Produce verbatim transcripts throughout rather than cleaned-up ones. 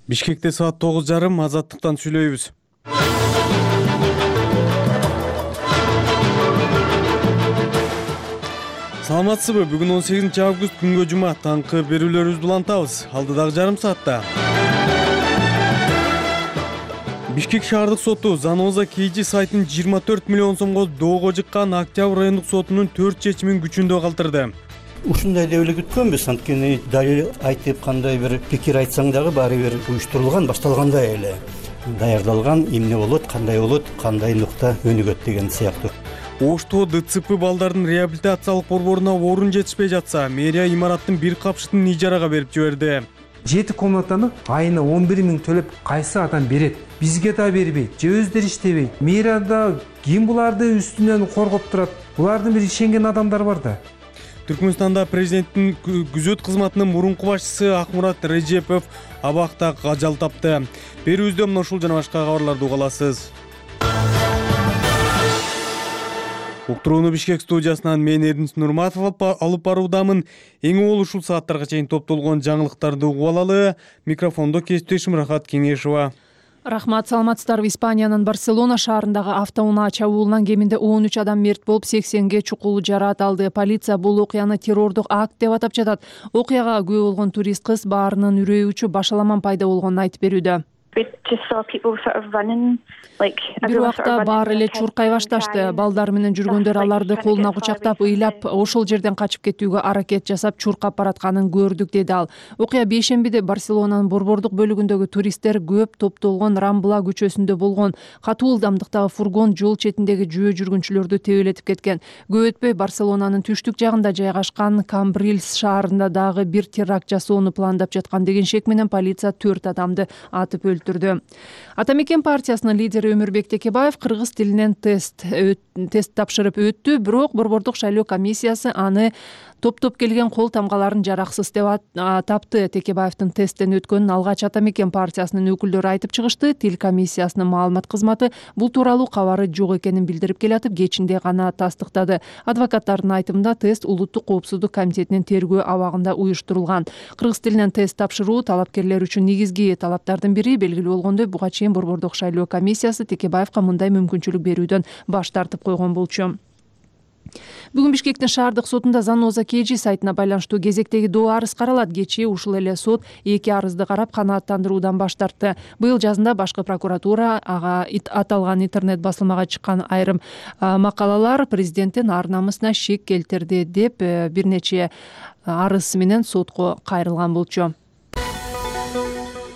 Бишкекте саат тогуз жарым Азаттыктан сүйлөйбүз. Саламатсызбы? Бүгүн он сегизинчи август күнгө жума. Таңкы берүүлөрүбүздү улантабыз. Алдыдагы жарым саатта. Бишкек шаардык соту Заноза Кейжи сайтын жыйырма төрт миллион сомго доого жыккан Октябрь райондук сотунун төрт чечимин күчүндө калтырды. Ушундай деп эле күткөнбүз, анткени далил айтып кандай бир пикир айтсаң дагы баары бир уюштурулган, башталгандай эле даярдалган, эмне болот, кандай болот, кандай нукта өнүгөт деген сыяктуу. Ошто ДЦП балдардын реабилитациялык борборуна орун жетишпей жатса, мэрия имараттын бир капшытын ижарага берип жиберди. Жети комнатаны айына он бир миң төлөп кайсы адам берет? Бизге да бербейт, же өздөрү иштебейт. Мэрияда ким буларды үстүнөн коргоп турат? Булардын бир ишенген адамдар бар да. Түркмөнстанда президенттин күзөт кызматынын мурунку башчысы Акмурат Режепов абакта ажал тапты. Берүүбүздө мына ушул жана башка кабарларды уга аласыз. Уктурууну Бишкек студиясынан мен Эрдинч Нурматов алып баруудамын. Эң уул ушул сааттарга чейин топтолгон жаңылыктарды угуп алалы. Микрофондо кесиптешим Рахат Кеңешова. Рахмат, саламатсыздарбы. Испаниянын Барселона шаарындагы автоунаа чабуулунан кеминде он үч адам мерт болуп, сексенге чукул жараат алды. Полиция бул окуяны террордук акт деп атап жатат. Окуяга күбө болгон турист кыз баарынын үрөө учуп башаламан пайда болгонун айтып берүүдө. Бир убакта баары эле чуркай башташты. Балдар менен жүргөндөр аларды колуна кучактап, ыйлап, ошол жерден качып кетүүгө аракет жасап, чуркап баратканын көрдүк, деди ал. Окуя бейшембиде Барселонанын борбордук бөлүгүндөгү туристтер көп топтолгон Рамбла көчөсүндө болгон. Катуу ылдамдыктагы фургон жол четиндеги жөө жүргүнчүлөрдү тебелетип кеткен. Көп өтпөй Барселонанын түштүк жагында жайгашкан Камбрильс шаарында дагы бир теракт жасоону пландап жаткан деген шек менен полиция төрт адамды атып өлтүрдү. Атамекен партиясынын лидери Өмүрбек Текебаев кыргыз тилинен тест тест тапшырып өттү, бирок борбордук шайлоо комиссиясы аны топтоп келген кол тамгаларын жараксыз деп тапты. Текебаевдин тесттен өткөнүн алгач Атамекен партиясынын өкүлдөрү айтып чыгышты. Тил комиссиясынын маалымат кызматы бул тууралуу кабары жок экенин билдирип келатып, кечинде гана тастыктады. Адвокаттардын айтымында тест улуттук коопсуздук комитетинин тергөө абагында уюштурулган. Кыргыз тилинен тест тапшыруу талапкерлер үчүн негизги талаптардын бири. Белгилүү болгондой, буга чейин борбордук шайлоо комиссиясы Текебаевга мындай мүмкүнчүлүк берүүдөн баш тартып койгон болчу. Бүгүн Бишкектин шаардык сотунда Заноза Кейжи сайтына байланыштуу кезектеги доо арыз каралат. Кечээ ушул эле сот эки арызды карап канааттандыруудан баш тартты. Быйыл жазында башкы прокуратура ага аталган интернет басылмага чыккан айрым макалалар президенттин ар намысына шек келтирди деп бир нече арыз менен сотко кайрылган болчу.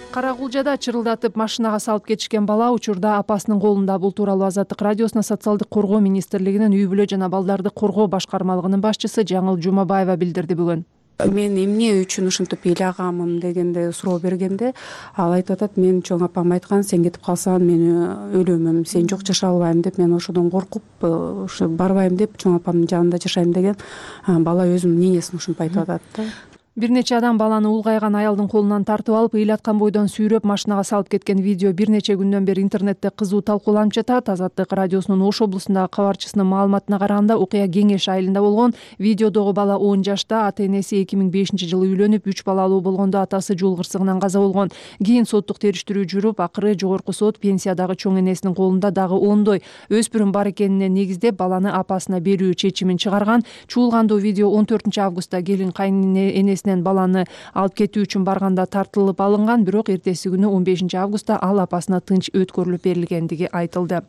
Карагулжада чырылдатып машинага салып кетишкен бала учурда апасынын колунда. Бул тууралуу Азаттык радиосуна социалдык коргоо министрлигинин үй бүлө жана балдарды коргоо башкармалыгынын башчысы Жаңыл Жумабаева билдирди бүгүн. Мен эмне үчүн ушинтип ыйлагамын дегенде суроо бергенде ал айтып атат, мен чоң апам айткан, сен кетип калсаң мен өлөмүм, сен жок жашай албайм деп, мен ошодон коркуп ушу барбайм деп чоң апамдын жанында жашайм деген бала өзүнүн ненесин ушинтип айтып атат да. Бир нече адам баланы улгайган аялдын колунан тартып алып, ыйлаткан бойдон сүйрөп машинага салып кеткен видео бир нече күндөн бери интернетте кызуу талкууланып жатат. Азаттык радиосунун Ош облусундагы кабарчысынын маалыматына караганда, окуя Кеңеш айылында болгон. Видеодогу бала он жашта, ата-энеси эки миң бешинчи жылы үйлөнүп, үч балалуу болгондо атасы жол кырсыгынан каза болгон. Кийин соттук териштирүү жүрүп, акыры жогорку сот пенсиядагы чоң энесинин колунда дагы ондой өспүрүм бар экенине негиздеп баланы апасына берүү чечимин чыгарган. Чуулгандуу видео он төртүнчү августта келин кайын энесинен баланы алып кетүү үчүн барганда тартылып алынган, бирок эртеси күнү он бешинчи августта ал апасына тынч өткөрүлүп берилгендиги айтылды.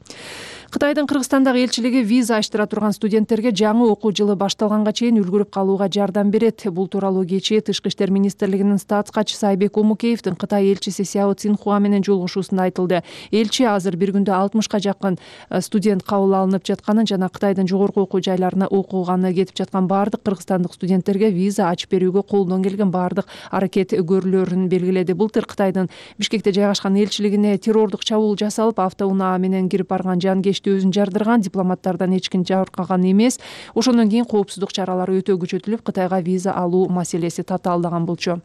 Кытайдын Кыргызстандагы элчилиги виза аштыра турган студенттерге жаңы окуу жылы башталганга чейин үлгүрүп калууга жардам берет. Бул тууралуу кечээ Тышкы иштер министрлигинин статс катчысы Айбек Омукеевдин Кытай элчиси Сяо Цинхуа менен жолугушуусунда айтылды. Элчи азыр бир күндө алтымышка жакын студент кабыл алынып жатканын жана Кытайдын жогорку окуу жайларына окууганы кетип жаткан баардык кыргызстандык студенттерге виза ачып берүүгө колдон келген баардык аракет көрүлөрүн белгиледи. Былтыр Кытайдын Бишкекте жайгашкан элчилигине террордук чабуул жасалып, автоунаа менен кирип барган жанкечти өзүн жардырган. Дипломаттардан эч ким жабыркаган эмес. Ошондон кийин коопсуздук чаралары өтө күчөтүлүп, Кытайга виза алуу маселеси татаалдаган болчу.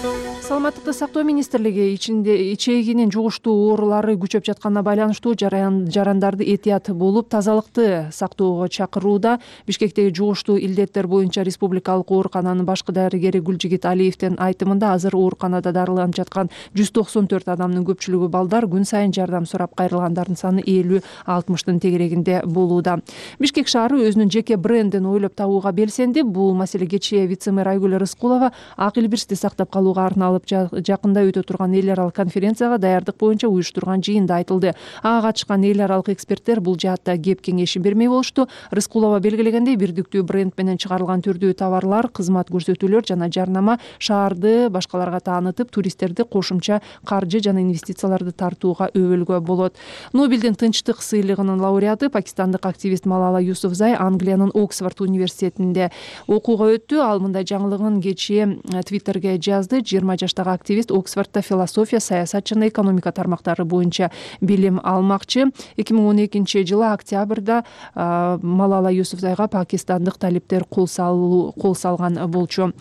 саламаттыкты сактоо министрлиги ичинде ичегинин жугуштуу оорулары күчөп жатканына байланыштуу жарандарды этият болуп тазалыкты сактоого чакырууда. Бишкектеги жугуштуу илдеттер боюнча республикалык оорукананын башкы дарыгери Гүлжигит Алиевдин айтымында азыр ооруканада дарыланып жаткан жүз токсон төрт адамдын көпчүлүгү балдар, күн сайын жардам сурап кайрылгандардын саны элүү алтымыштын тегерегинде болууда. Бишкек шаары өзүнүн жеке брендин ойлоп табууга белсенди. Бул маселе кечээ вице-мэр Айгүл Рыскулова ак илбирсти сактап калууга арналып жакында өтө турган эл аралык конференцияга даярдык боюнча уюштурган жыйында айтылды. Ага катышкан эл аралык эксперттер бул жаатта кеп кеңешин бермей болушту. Рыскулова белгилегендей, бирдиктүү бренд менен чыгарылган түрдүү товарлар, кызмат көрсөтүүлөр жана жарнама шаарды башкаларга таанытып, туристтерди кошумча каржы жана инвестицияларды тартууга өбөлгө болот. Нобелдин тынчтык сыйлыгынын лауреаты пакистандык активист Малала Юсуфзай Англиянын Оксфорд университетинде окууга өттү. Ал мындай жаңылыгын кечээ Твиттерге жазды. жыйырма жаштагы активист Оксфордто философия, саясат жана экономика тармактары боюнча билим алмакчы. эки миң он экинчи жылы октябрда Малала Юсуфзайга пакистандык талиптер кол салган болчу.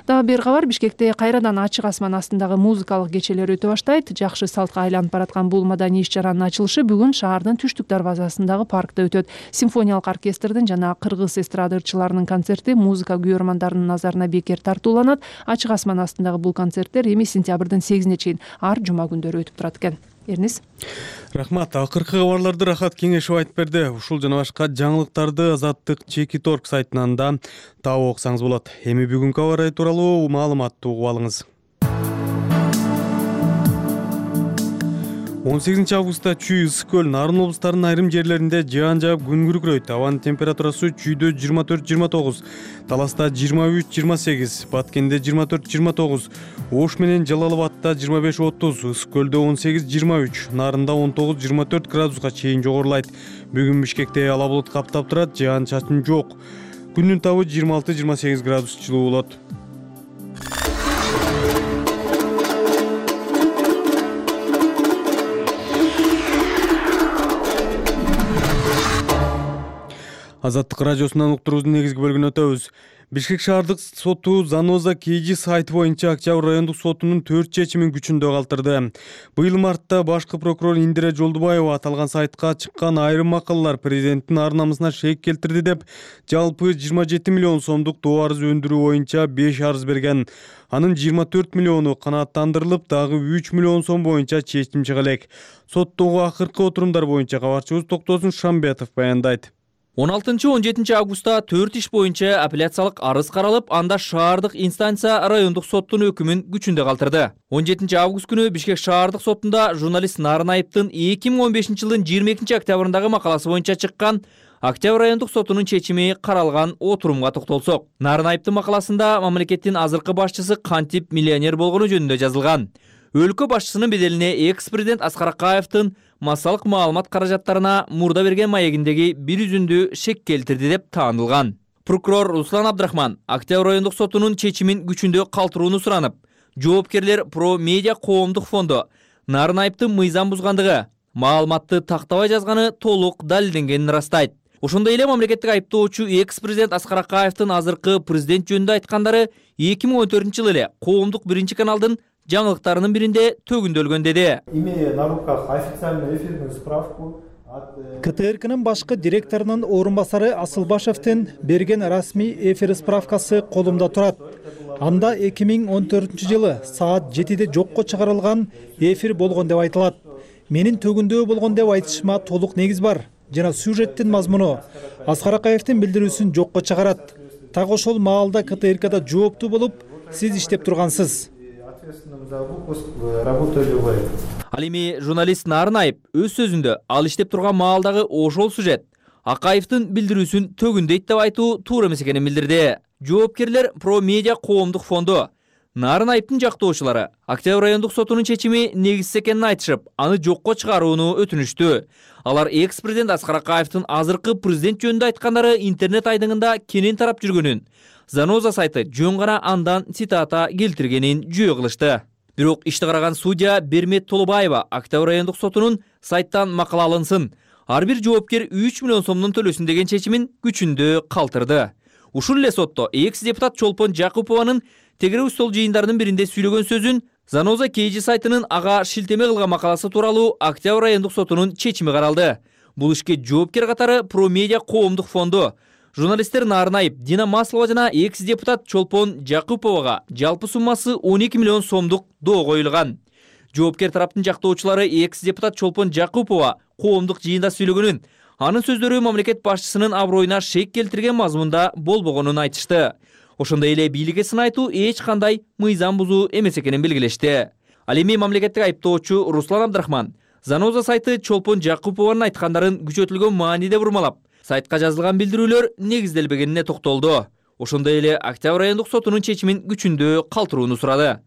Дагы бир кабар, Бишкекте кайрадан ачык асман астындагы музыкалык кечелер өтө баштайт. Жакшы салтка айланып бараткан бул маданий иш-чаранын ачылышы бүгүн шаардын түштүк дарбазасындагы паркта өтөт. Симфониялык оркестрдин жана кыргыз эстрада ырчыларынын концерти музыка күйөрмандарынын назарына бекер тартууланат. Ачык асман астындагы бул концерттер эми сентябрдын сегизине чейин ар жума күндөрү өтүп турат экен. Эрнис. Рахмат. Акыркы кабарларды Рахат Кеңешев айтып берди. Ушул жана башка жаңылыктарды Азаттык Чеки Торг сайтынан да таап окусаңыз болот. Эми бүгүнкү кабар тууралуу маалыматты угуп алыңыз. он сегизинчи августта Чүй, Ысык көл, Нарын облустарынын айрым жерлеринде жаан жаап күн күркүрөйт. Абанын температурасы Чүйдө жыйырма төрт жыйырма тогуз, Таласта жыйырма үч жыйырма сегиз, Баткенде жыйырма төрт жыйырма тогуз, Ош менен Жалал Абадта жыйырма беш отуз, Ысык көлдө он сегиз жыйырма үч, Нарында он тогуз жыйырма төрт градуска чейин жогорулайт. Бүгүн Бишкекте ала булут каптап турат, жаан чачын жок. Күндүн табы жыйырма алты жыйырма сегиз градус жылуу болот. Азаттык радиосунан уктуруубуздун негизги бөлүгүнө өтөбүз. Бишкек шаардык соту Заноза Кейжи сайты боюнча Октябрь райондук сотунун төрт чечимин күчүндө калтырды. Быйыл мартта башкы прокурор Индира Жолдубаева аталган сайтка чыккан айрым макалалар президенттин ар намысына шек келтирди деп, жалпы жыйырма жети миллион сомдук тоо арыз өндүрүү боюнча беш арыз берген. Анын жыйырма төрт миллиону канааттандырылып, дагы үч миллион сом боюнча чечим чыга элек. Соттогу акыркы отурумдар боюнча кабарчыбыз Токтосун Шамбетов баяндайт. он алтынчы он жетинчи августта төрт иш боюнча апелляциялык арыз каралып, анда шаардык инстанция райондук соттун өкүмүн күчүндө калтырды. он жетинчи август күнү Бишкек шаардык сотунда журналист Нарын Айыптын эки миң он бешинчи жылдын жыйырма экинчи октябрындагы макаласы боюнча чыккан Октябрь райондук сотунун чечими каралган отурумга токтолсок. Нарын Айыптын макаласында мамлекеттин азыркы башчысы кантип миллионер болгону жөнүндө жазылган. Өлкө башчысынын беделине экс-президент Аскар Акаевдин массалык маалымат каражаттарына мурда берген маегиндеги бир үзүндү шек келтирди деп таанылган. Прокурор Руслан Абдрахман Октябрь райондук сотунун чечимин күчүндө калтырууну суранып, жоопкерлер Про Медиа коомдук фонду Нарын Айыптын мыйзам бузгандыгы, маалыматты тактабай жазганы толук далилденгенин ырастайт. Ошондой эле мамлекеттик айыптоочу экс-президент Аскар Акаевдин азыркы президент жөнүндө айткандары эки миң он төртүнчү жылы эле коомдук биринчи каналдын жаңылыктарынын биринде төгүндөлгөн деди. Имея на руках официальную эфирную справку от ка тэ эр кнын башкы директорунун орун басары Асылбашевдин берген расмий эфир справкасы колумда турат. Анда эки миң он төртүнчү жылы саат жетиде жокко чыгарылган эфир болгон деп айтылат. Менин төгүндөө болгон деп айтышыма толук негиз бар. Жана сюжеттин мазмуну Аскар Акаевдин билдирүүсүн жокко чыгарат. Так ошол маалда ка тэ эр када жооптуу болуп, сиз иштеп тургансыз. Ал эми журналист Нарын Айып өз сөзүндө ал иштеп турган маалдагы ошол сюжет Акаевдин билдирүүсүн төгүндейт деп айтуу туура эмес экенин билдирди. Жоопкерлер Про Медиа коомдук фонду Нарын Айыптын жактоочулары Октябрь райондук сотунун чечими негизсиз экенин айтышып, аны жокко чыгарууну өтүнүштү. Алар экс-президент Аскар Акаевдин азыркы президент жөнүндө айткандары интернет айдыңында кенен тарап жүргөнүн, Заноза сайты жөн гана андан цитата келтиргенин жүйө кылышты. Бирок ишти караган судья Бермет Толубаева Октябрь райондук сотунун сайттан макала алынсын, ар бир жоопкер үч миллион сомдон төлөсүн деген чечимин күчүндө калтырды. Ушул эле сотто экс депутат Чолпон Жакупованын тегерек стол жыйындарынын биринде сүйлөгөн сөзүн Заноза Кейжи сайтынын ага шилтеме кылган макаласы тууралуу Октябрь райондук сотунун чечими каралды. Бул ишке жоопкер катары Промедиа коомдук фонду, журналисттер Нарынаев, Дина Маслова жана экс депутат Чолпон Жакуповага жалпы суммасы он эки миллион сомдук доо коюлган. Жоопкер тараптын жактоочулары экс депутат Чолпон Жакупова коомдук жыйында сүйлөгөнүн, анын сөздөрү мамлекет башчысынын аброюна шек келтирген мазмунда болбогонун айтышты. Ошондой эле бийликке сын айтуу эч кандай мыйзам бузуу эмес экенин белгилешти. Ал эми мамлекеттик айыптоочу Руслан Абдрахман Заноза сайты Чолпон Жакупованын айткандарын күчөтүлгөн мааниде бурмалап, сайтка жазылган билдирүүлөр негизделбегенине токтолду. Ошондой эле Октябрь райондук сотунун чечимин күчүндө калтырууну сурады.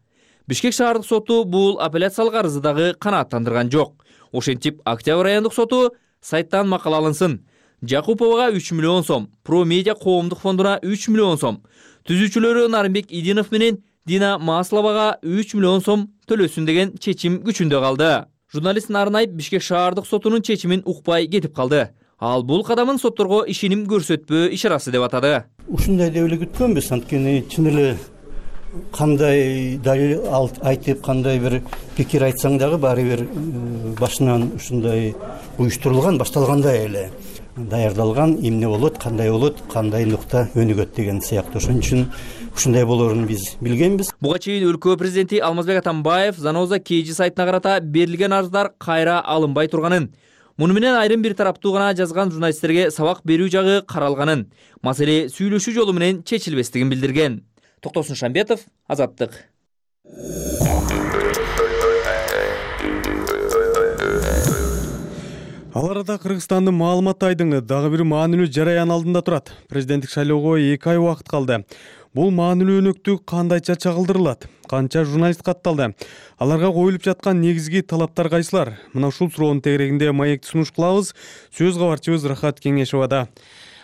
Бишкек шаардык соту бул апелляциялык арызды дагы канааттандырган жок. Ошентип Октябрь райондук соту сайттан макала алынсын. Жакуповага үч миллион сом, Промедиа коомдук фондуна үч миллион сом, түзүүчүлөрү Нарымбек Идинов менен Дина Масловага үч миллион сом төлөсүн деген чечим күчүндө калды. Журналист Нарынаев Бишкек шаардык сотунун чечимин укпай кетип калды. Ал бул кадамын сотторго ишеним көрсөтпөө ишарасы деп атады. Ушундай деп эле күткөнбүз, анткени чын эле кандай далил айтып, кандай бир пикир айтсаң дагы баары бир башынан ушундай уюштурулган, башталгандай эле даярдалган, эмне болот, кандай болот, кандай нукта өнүгөт деген сыяктуу. Ошон үчүн ушундай болоорун биз билгенбиз. Буга чейин өлкө президенти Алмазбек Атамбаев Заноза Кейжи сайтына карата берилген арыздар кайра алынбай турганын, муну менен айрым бир тараптуу гана жазган журналисттерге сабак берүү жагы каралганын, маселе сүйлөшүү жолу менен чечилбестигин билдирген. Токтосун Шамбетов, Азаттык. Ал арада Кыргызстандын маалымат айдыңы дагы бир маанилүү жараян алдында турат. Президенттик шайлоого эки ай убакыт калды. Бул маанилүү өнөктүк кандайча чагылдырылат? Канча журналист катталды? Аларга коюлуп жаткан негизги талаптар кайсылар? Мына ушул суроонун тегерегинде маекти сунуш кылабыз. Сөз кабарчыбыз Рахат Кеңешовада.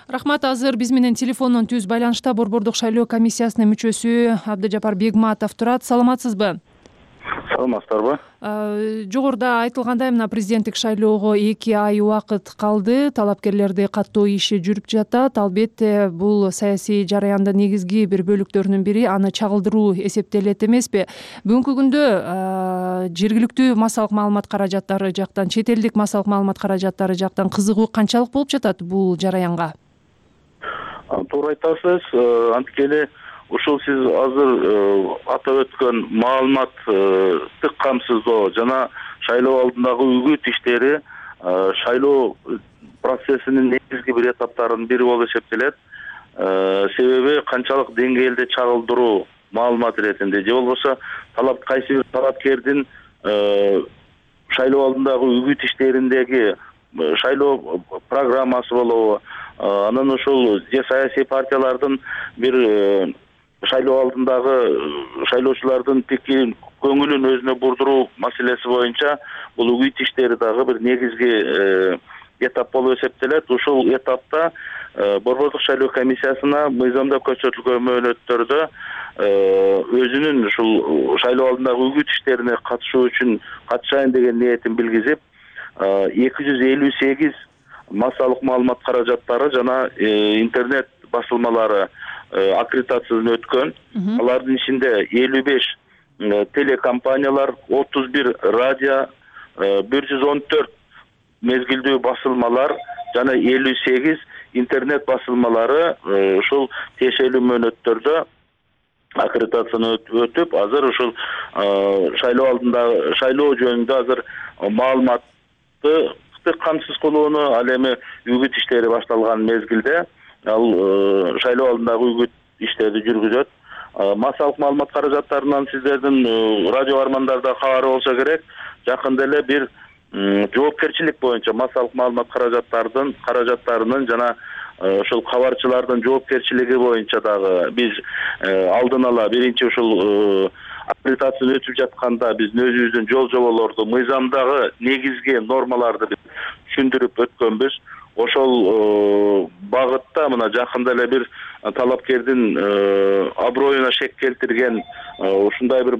Рахмат, азыр биз менен телефондон түз байланышта Борбордук шайлоо комиссиясынын мүчөсү Абдыжапар Бегматов турат. Саламатсызбы? Саламатсыздарбы? Жогоруда айтылгандай, мына президенттик шайлоого эки ай убакыт калды. Талапкерлерди каттоо иши жүрүп жатат. Албетте, бул саясий жараяндын негизги бир бөлүктөрүнүн бири аны чагылдыруу эсептелет эмеспи? Бүгүнкү күндө жергиликтүү массалык маалымат каражаттары жактан, чет элдик массалык маалымат каражаттары жактан кызыгуу канчалык болуп жатат бул жараянга? Туура айтасыз. Анткени ушул сиз азыр атап өткөн маалыматтык камсыздоо жана шайлоо алдындагы үгүт иштери шайлоо процессинин негизги бир этаптарынын бири болуп эсептелет. Себеби канчалык деңгээлде чагылдыруу маалымат иретинде же болбосо талап кайсы бир талапкердин шайлоо алдындагы үгүт иштериндеги шайлоо программасы болобу, анан ушул же саясий партиялардын бир шайлоо алдындагы шайлоочулардын пикирин, көңүлүн өзүнө бурдуруу маселеси боюнча бул үгүт иштери дагы бир негизги этап болуп эсептелет. Ушул этапта Борбордук шайлоо комиссиясына мыйзамда көрсөтүлгөн мөөнөттөрдө өзүнүн ушул шайлоо алдындагы үгүт иштерине катышуу үчүн катышайын деген ниетин билгизип, эки жүз элүү сегиз массалык маалымат каражаттары жана интернет басылмалары аккредитациядан өткөн. Алардын ичинде элүү беш телекомпаниялар, отуз бир радио, бир жүз он төрт мезгилдүү басылмалар жана элүү сегиз интернет басылмалары ушул тиешелүү мөөнөттөрдө аккредитацияны өтүп, азыр ушул шайлоо алдында шайлоо жөнүндө азыр маалыматты камсыз кылууну, ал эми үгүт иштери башталган мезгилде ал шайлоо алдындагы үгүт иштерди жүргүзөт. Массалык маалымат каражаттарынан сиздердин радио армандарда кабары болсо керек, жакында эле бир жоопкерчилик боюнча массалык маалымат каражаттардын каражаттарынын жана ушул кабарчылардын жоопкерчилиги боюнча дагы биз алдын ала биринчи ушул аккредитация өтүп жатканда биздин өзүбүздүн жол жоболорду, мыйзамдагы негизги нормаларды түшүндүрүп өткөнбүз. Ошол багытта мына жакында эле бир талапкердин аброюна шек келтирген ушундай бир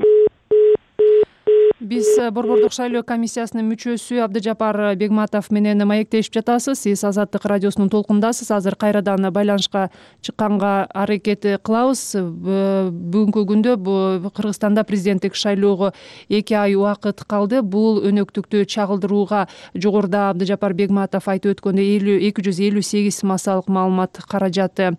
Биз Борбордук шайлоо комиссиясынын мүчөсү Абдыжапар Бегматов менен маектешип жатасыз. Сиз Азаттык радиосунун толкундасыз. Азыр кайрадан байланышка чыкканга аракет кылабыз. Бүгүнкү күндө Кыргызстанда президенттик шайлоого эки ай убакыт калды. Бул өнөктүктү чагылдырууга жогоруда Абдыжапар Бегматов айтып өткөндөй эки жүз элүү сегиз массалык маалымат каражаты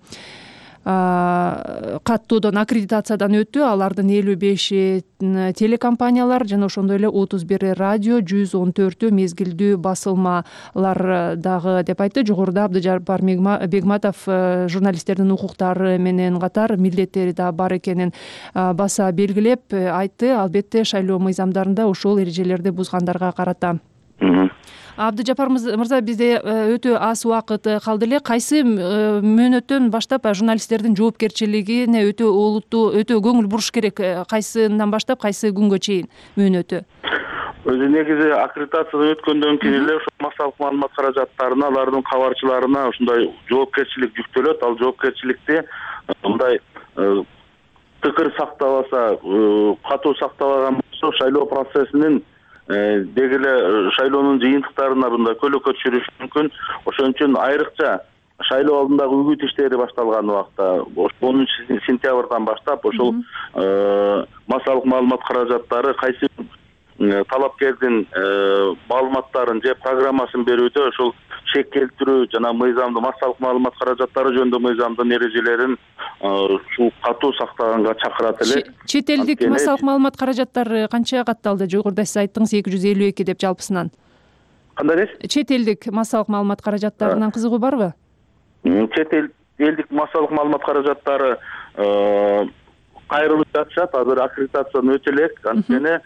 каттоодон аккредитациядан өттү. Алардын элүү беши телекомпаниялар жана ошондой эле отуз бир радио, жүз он төртү мезгилдүү басылмалар дагы деп айтты. Жогоруда Абдыжапар Бегматов журналисттердин укуктары менен катар милдеттери да бар экенин баса белгилеп айтты. Албетте шайлоо мыйзамдарында ошол эрежелерди бузгандарга карата. Абдыжапар мырза, бизде өтө аз убакыт калды эле. Кайсы мөөнөттөн баштап журналисттердин жоопкерчилигине өтө олуттуу, өтө көңүл буруш керек? Кайсынан баштап, кайсы күнгө чейин мөөнөтү? Өзү негизи аккредитациядан өткөндөн кийин эле ошо массалык маалымат каражаттарына, алардын кабарчыларына ушундай жоопкерчилик жүктөлөт. Ал жоопкерчиликти мындай тыкыр сактабаса, катуу сактабаган болсо шайлоо процессинин деги эле шайлоонун жыйынтыктарына мындай көлөкө түшүрүшү мүмкүн. Ошон үчүн айрыкча шайлоо алдындагы үгүт иштери башталган убакта онунчу сентябрдан баштап ошол массалык маалымат каражаттары кайсы талапкердин маалыматтарын же программасын берүүдө ошол чек келтирүү жана мыйзамды массалык маалымат каражаттары жөнүндө мыйзамдын эрежелерин ушул катуу сактаганга чакырат эле. Чет элдик массалык маалымат каражаттары канча катталды? Жогоруда сиз айттыңыз эки жүз элүү эки деп жалпысынан. Кандай дейсиз? Чет элдик массалык маалымат каражаттарынан кызыгуу барбы? Чет элдик массалык маалымат каражаттары кайрылып жатышат. Азыр аккредитациядан өтө элек. Анткени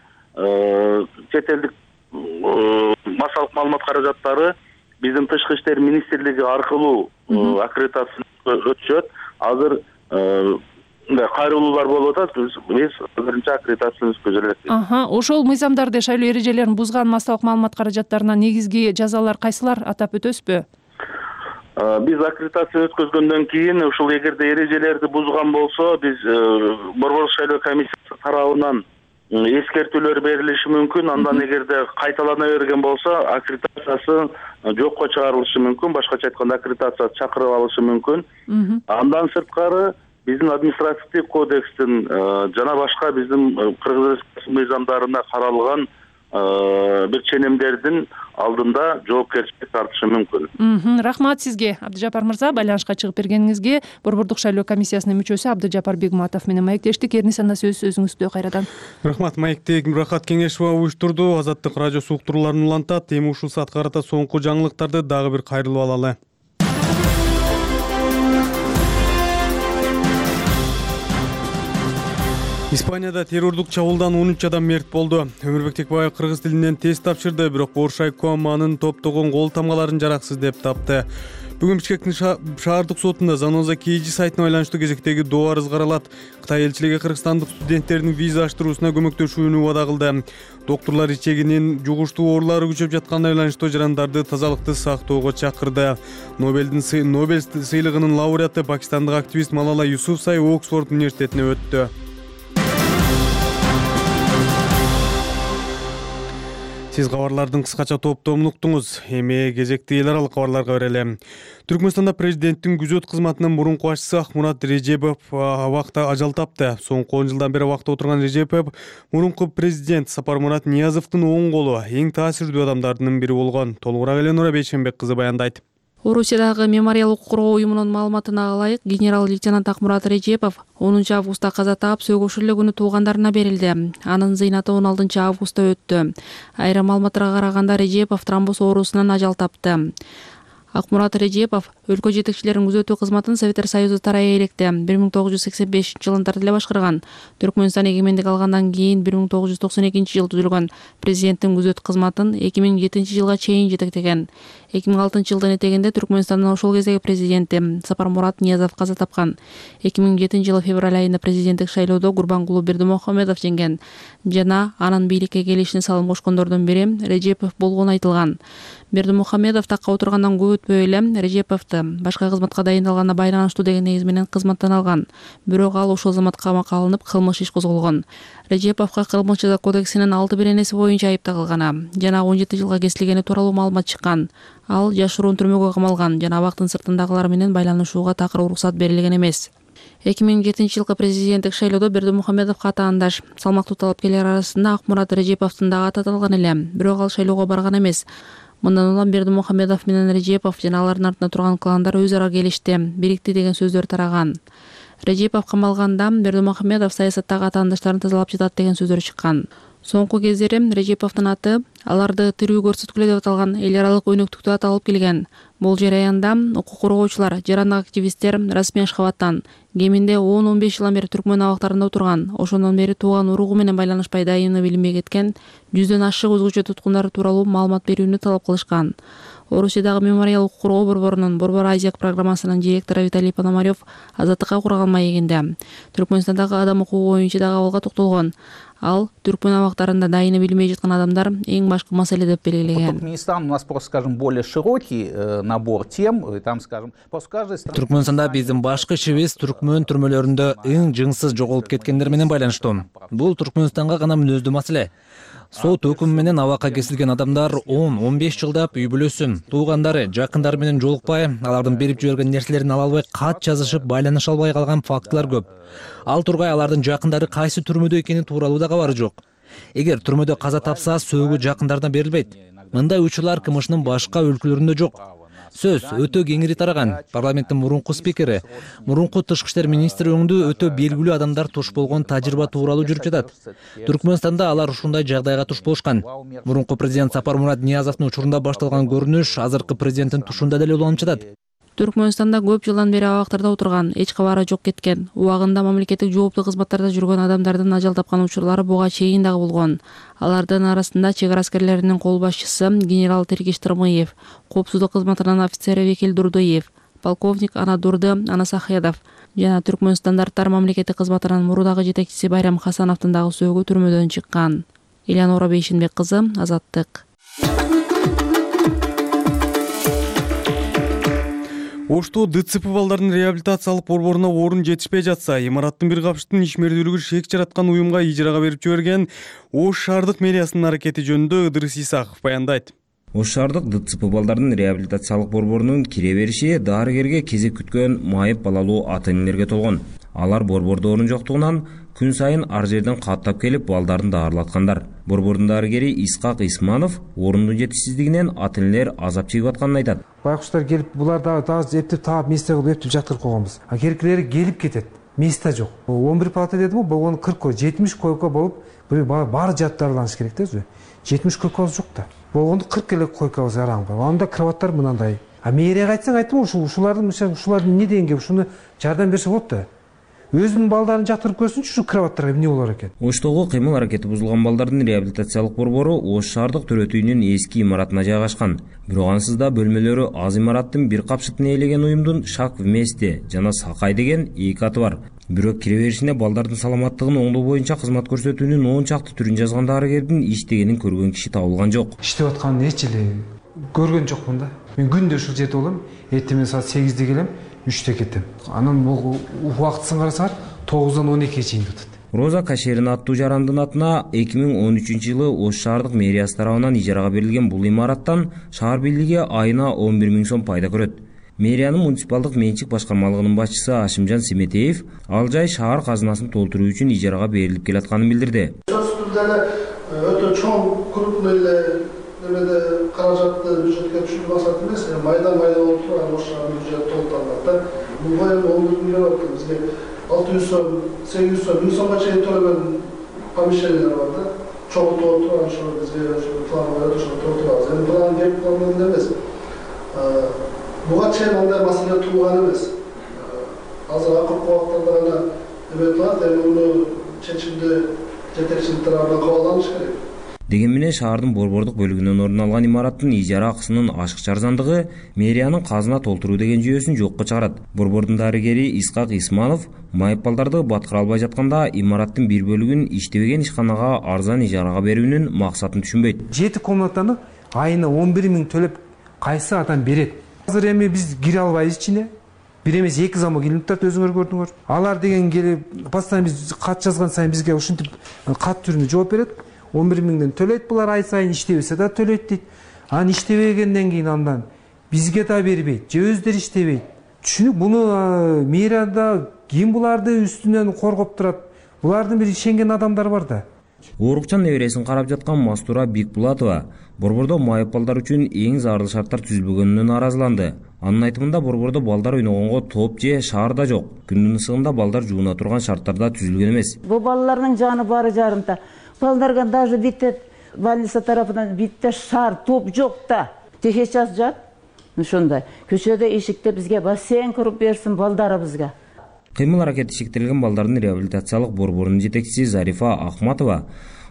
чет элдик массалык маалымат каражаттары биздин Тышкы иштер министрлиги аркылуу аккредитациядан өтүшөт. Азыр мындай кайрылуулар болуп атат. Биз биринчи аккредитацияны өткөзө элекпиз. Аха, ошол мыйзамдарды, шайлоо эрежелерин бузган массалык маалымат каражаттарына негизги жазалар кайсылар атап өтөсүзбү? Биз аккредитацияны өткөзгөндөн кийин ушул эгерде эрежелерди бузган болсо, биз Борбордук шайлоо комиссиясы тарабынан эскертүүлөр берилиши мүмкүн. Андан эгерде кайталана берген болсо, аккредитациясы жокко чыгарылышы мүмкүн. Башкача айтканда, аккредитация чакырып алышы мүмкүн. Андан сырткары биздин административдик кодекстин жана башка биздин Кыргыз Республикасынын мыйзамдарына каралган бир ченемдердин алдында жоопкерчилик тартышы мүмкүн. Рахмат сизге, Абдыжапар мырза, байланышка чыгып бергениңизге. Борбордук шайлоо комиссиясынын мүчөсү Абдыжапар Бегматов менен маектештик. Эрни санда сөз өзүңүздө кайрадан. Рахмат, маектек Мурахат Кеңешова уюштурду. Азаттык радиосу уктурууларын улантат. Эми ушул саатка карата соңку жаңылыктарды дагы бир кайрылып алалы. Испанияда террордук чабуулдан он үч адам мерт болду. Өмүрбек Текбаев кыргыз тилинен тест тапшырды, бирок Боршай Коаманын топтогон кол тамгаларын жараксыз деп тапты. Бүгүн Бишкектин шаардык сотунда Заноза Кейджи сайтына байланыштуу кезектеги доо арыз каралат. Кытай элчилиги кыргызстандык студенттердин виза аштыруусуна көмөктөшүүнү убада кылды. Доктурлар ичегинин жугуштуу оорулары күчөп жатканына байланыштуу жарандарды тазалыкты сактоого чакырды. Нобелдин Нобель сыйлыгынын лауреаты пакистандык активист Малала Юсуфзай Оксфорд университетине өттү. Сиз кабарлардын кыскача топтомун уктуңуз. Эми кезекти эл аралык кабарларга берели. Түркмөнстанда президенттин күзөт кызматынын мурунку башчысы Акмурат Режепов абакта ажал тапты. Соңку он жылдан бери абакта отурган Режепов мурунку президент Сапармурат Ниязовдун оң колу, эң таасирдүү адамдардын бири болгон. Толугураак Эленора Бейшенбек кызы баяндайт. Орусиядагы мемориалдык коргоо уюмунун маалыматына ылайык, генерал-лейтенант Акмурат Режепов онунчу августта каза таап, сөгүш эле күнү туугандарына берилди. Анын зыйнаты он алтынчы августта өттү. Айрым маалыматтарга караганда Режепов тромбоз оорусунан ажал тапты. Акмурат Режепов өлкө жетекчилеринин күзөтүү кызматын Советтер Союзу тарайы электе бир миң тогуз жүз сексен бешинчи жылында эле башкарган. Түркмөнстан эгемендик алгандан кийин бир миң тогуз жүз токсон экинчи жылы түзүлгөн президенттин күзөт кызматын эки миң жетинчи жылга чейин жетектеген. эки миң алтынчы жылдын этегинде Түркмөнстандын ошол кездеги президенти Сапармурат Ниязов каза тапкан. эки миң жетинчи жылы февраль айында президенттик шайлоодо Гурбангулу Бердимухамедов жеңген жана анын бийликке келишине салым кошкондордун бири Режепов болгону айтылган. Бердимухамедов такка отургандан көп өтпөй эле Режеповду башка кызматка дайындалганына байланыштуу деген негиз менен кызматтан алган. Бирок ал ошол заматка камакка алынып, кылмыш иш козголгон. Режеповго Кылмыш жаза кодексинин алты беренеси боюнча айып тагылганы жана он жети жылга кесилгени тууралуу маалымат чыккан. Ал жашыруун түрмөгө камалган жана абактын сыртындагылар менен байланышууга такыр уруксат берилген эмес. эки миң жетинчи жылкы президенттик шайлоодо Бердимухамедовго атаандаш салмактуу талапкерлер арасында Акмурат Режеповдун дагы аты аталган эле, бирок ал шайлоого барган эмес. Мындан улам Бердимухамедов менен Режепов жана алардын артында турган кландар өз ара келишти, бирикти деген сөздөр тараган. Режепов камалганда Бердимухамедов саясаттагы атаандаштарын тазалап жатат деген сөздөр чыккан. Соңку кездери Режеповдун аты аларды тирүү көрсөткүлө деп аталган эл аралык өнөктүктө аталып келген. Бул жараянда укук коргоочулар, жарандык активисттер расмий Ашхабадтан кеминде он он беш жылдан бери Түркмөн абактарында отурган, ошондон бери тууган уругу менен байланышпай дайыны билинбей кеткен жүздөн ашык өзгөчө туткундар тууралуу маалымат берүүнү талап кылышкан. Орусиядагы мемориал укук коргоо борборунун Борбор Азияк программасынын директору Виталий Пономарев азаттыкка курган маегинде Түркмөнстандагы адам укугу боюнча дагы абалга токтолгон. Ал Түркмөн абактарында дайыны билинбей жаткан адамдар эң башкы маселе деп белгилеген. Туркменистан у нас просто, скажем, более широкий набор тем, там, скажем, после каждой страны. Түркмөнстанда биздин башкы ишибиз Түркмөн түрмөлөрүндө эң жыңсыз жоголуп кеткендер менен байланыштуу. Бул Түркмөнстанга гана мүнөздүү маселе. Сот өкүмү менен абакка кесилген адамдар он он беш жылдап үй бүлөсү, туугандары, жакындары менен жолукпай, алардын берип жиберген нерселерин ала албай кат жазышып, байланыша албай калган фактылар көп. Ал тургай алардын жакындары кайсы түрмөдө экени тууралуу да кабары жок. Эгер түрмөдө каза тапса, сөөгү жакындарына берилбейт. Мындай учурлар КМШнын башка өлкөлөрүндө жок. Сөз өтө кеңири тараган. Парламенттин мурунку спикери, мурунку тышкы иштер министри өңдүү өтө белгилүү адамдар туш болгон тажрыйба тууралуу жүрүп жатат. Түркмөнстанда алар ушундай жагдайга туш болушкан. Мурунку президент Сапармурат Ниязовдун учурунда башталган көрүнүш азыркы президенттин тушунда деле уланып жатат. Түркмөнстанда көп жылдан бери абактарда отурган, эч кабары жок кеткен, убагында мамлекеттик жооптуу кызматтарда жүргөн адамдардын ажал тапкан учурлары буга чейин дагы болгон. Алардын арасында чек ара аскерлеринин кол башчысы генерал Тергиш Тырмыев, коопсуздук кызматынын офицери Векил Дурдуев, полковник Анадурды Анасахедов жана Түркмөн стандарттар мамлекеттик кызматынын мурдагы жетекчиси Байрам Хасановдун дагы сөөгү түрмөдөн чыккан. Элянора Бейшенбек кызы, Азаттык. Ошто ДЦП балдардын реабилитациялык борборуна орун жетишпей жатса, имараттын бир капчыктын ишмердүүлүгү шек жараткан уюмга ижарага берип жиберген Ош шаардык мэриясынын аракети жөнүндө Ыдырыс Исаков баяндайт. Ош шаардык ДЦП балдардын реабилитациялык борборунун кире бериши дарыгерге кезек күткөн майып балалуу ата-энелерге толгон. Алар борбордо орун жоктугунан күн сайын ар жерден каттап келип балдарын даарылаткандар. Борбордун дарыгери Исхак Исманов орундун жетишсиздигинен ата-энелер азап чегип атканын айтат. Байкуштар келип, булар дагы дагы эптеп таап месте кылып эптеп жактырып койгонбуз. А керекилери келип кетет. Месте жок. он бир палата дедим, болгону кырк койко, жетимиш койко болуп, баары жат дарыланыш керек да. жетимиш койкобуз жок да. Болгондо кырк эле койкобуз араң бар. Анда кроваттар мынандай. А мэрияга айтсаң айтым, ушул ушулардын ушулардын эмне дегенге ушуну жардам берсе болот да. Өзүнүн балдарын жактырып көрсүнчү, ушу кроваттарга эмне болор экен. Оштогу кыймыл аракети бузулган балдардын реабилитациялык борбору Ош шаардык төрөт үйүнүн эски имаратына жайгашкан. Бирок ансыз да бөлмөлөрү аз имараттын бир капчыктын ээлеген уюмдун Шак вместе жана Сакай деген эки аты бар. Бирок кире беришине балдардын саламаттыгын оңдоо боюнча кызмат көрсөтүүнүн он чакты түрүн жазган дарыгердин иштегенин көргөн киши табылган жок. Иштеп атканын эч эле көргөн жокмун да. Мен күндө ушул жерде болом, эртең саат сегизде келем, үчтө кетем. Анан бул убактысын карасаңар тогуздан он экиге чейин өтөт. Роза Кашерин аттуу жарандын атына эки миң он үчүнчү жылы Ош шаардык мэриясы тарабынан ижарага берилген бул имараттан шаар бийлиги айына он бир миң сом пайда көрөт. Мэриянын муниципалдык менчик башкармалыгынын башчысы Ашимжан Семетеев ал жай шаар казынасын толтуруу үчүн ижарага берилип келатканын билдирди. Өтө чоң крупный эле немеде каражатты бюджетке түшүрүү максат эмес, майдан майдан болуп турган Ош шаарынын бюджети толтурулат. Бул боюнча он бир миллион болот. Бизге алты жүз сом, сегиз жүз сом, миң сомго чейин төлөгөн помещениялар бар да. Чогултуп отурган ошо бизге план коюп ошо толтурабыз. Эми план кеп план эмес. Буга чейин андай маселе тууган эмес. Азыр акыркы убактарда гана эме турат, эми муну чечимди жетекчилик тарабынан кабыл алыныш керек. Деген менен шаардын борбордук бөлүгүнөн орун алган имараттын ижара акысынын ашыкча арзандыгы мэриянын казына толтуруу деген жүйөсүн жокко чыгарат. Борбордун дарыгери Исхак Исманов майыппалдарды баткыра албай жатканда имараттын бир бөлүгүн иштебеген ишканага арзан ижарага берүүнүн максатын түшүнбөйт. Жети комнатаны айына он бир миң төлөп кайсы адам берет? Азыр эми биз кире албайбыз ичине. Бир эмес эки замок келип турат, өзүңөр көрдүңөр. Алар деген келип, постоянно биз кат жазган сайын бизге ушинтип кат түрүндө жооп берет. он бир миңден төлөйт булар ай сайын, иштебесе да төлөйт дейт. Анан иштебегенден кийин андан бизге да бербейт, же өздөрү иштебейт. Түшүнүк, буну мэрияда ким буларды үстүнөн коргоп турат? Булардын бир ишенген адамдар бар да. Оорукчан небересин карап жаткан Мастура Бикбулатова борбордо майыппалдар үчүн эң зарыл шарттар түзүлбөгөнүнө нааразыланды. Анын айтымында борбордо балдар ойногонго топ же шаарда жок. Күндүн ысыгында балдар жууна турган шарттарда түзүлгөн эмес. Бу балдардын жаны бары жарымта. Балдарга даже битте больница тарафынан битте шаар топ жок да. Сейчас жат. Ошондой. Көчөдө эшикте бизге бассейн куруп берсин балдарыбызга. Кыймыл аракети шектелген балдардын реабилитациялык борборунун жетекчиси Зарифа Ахматова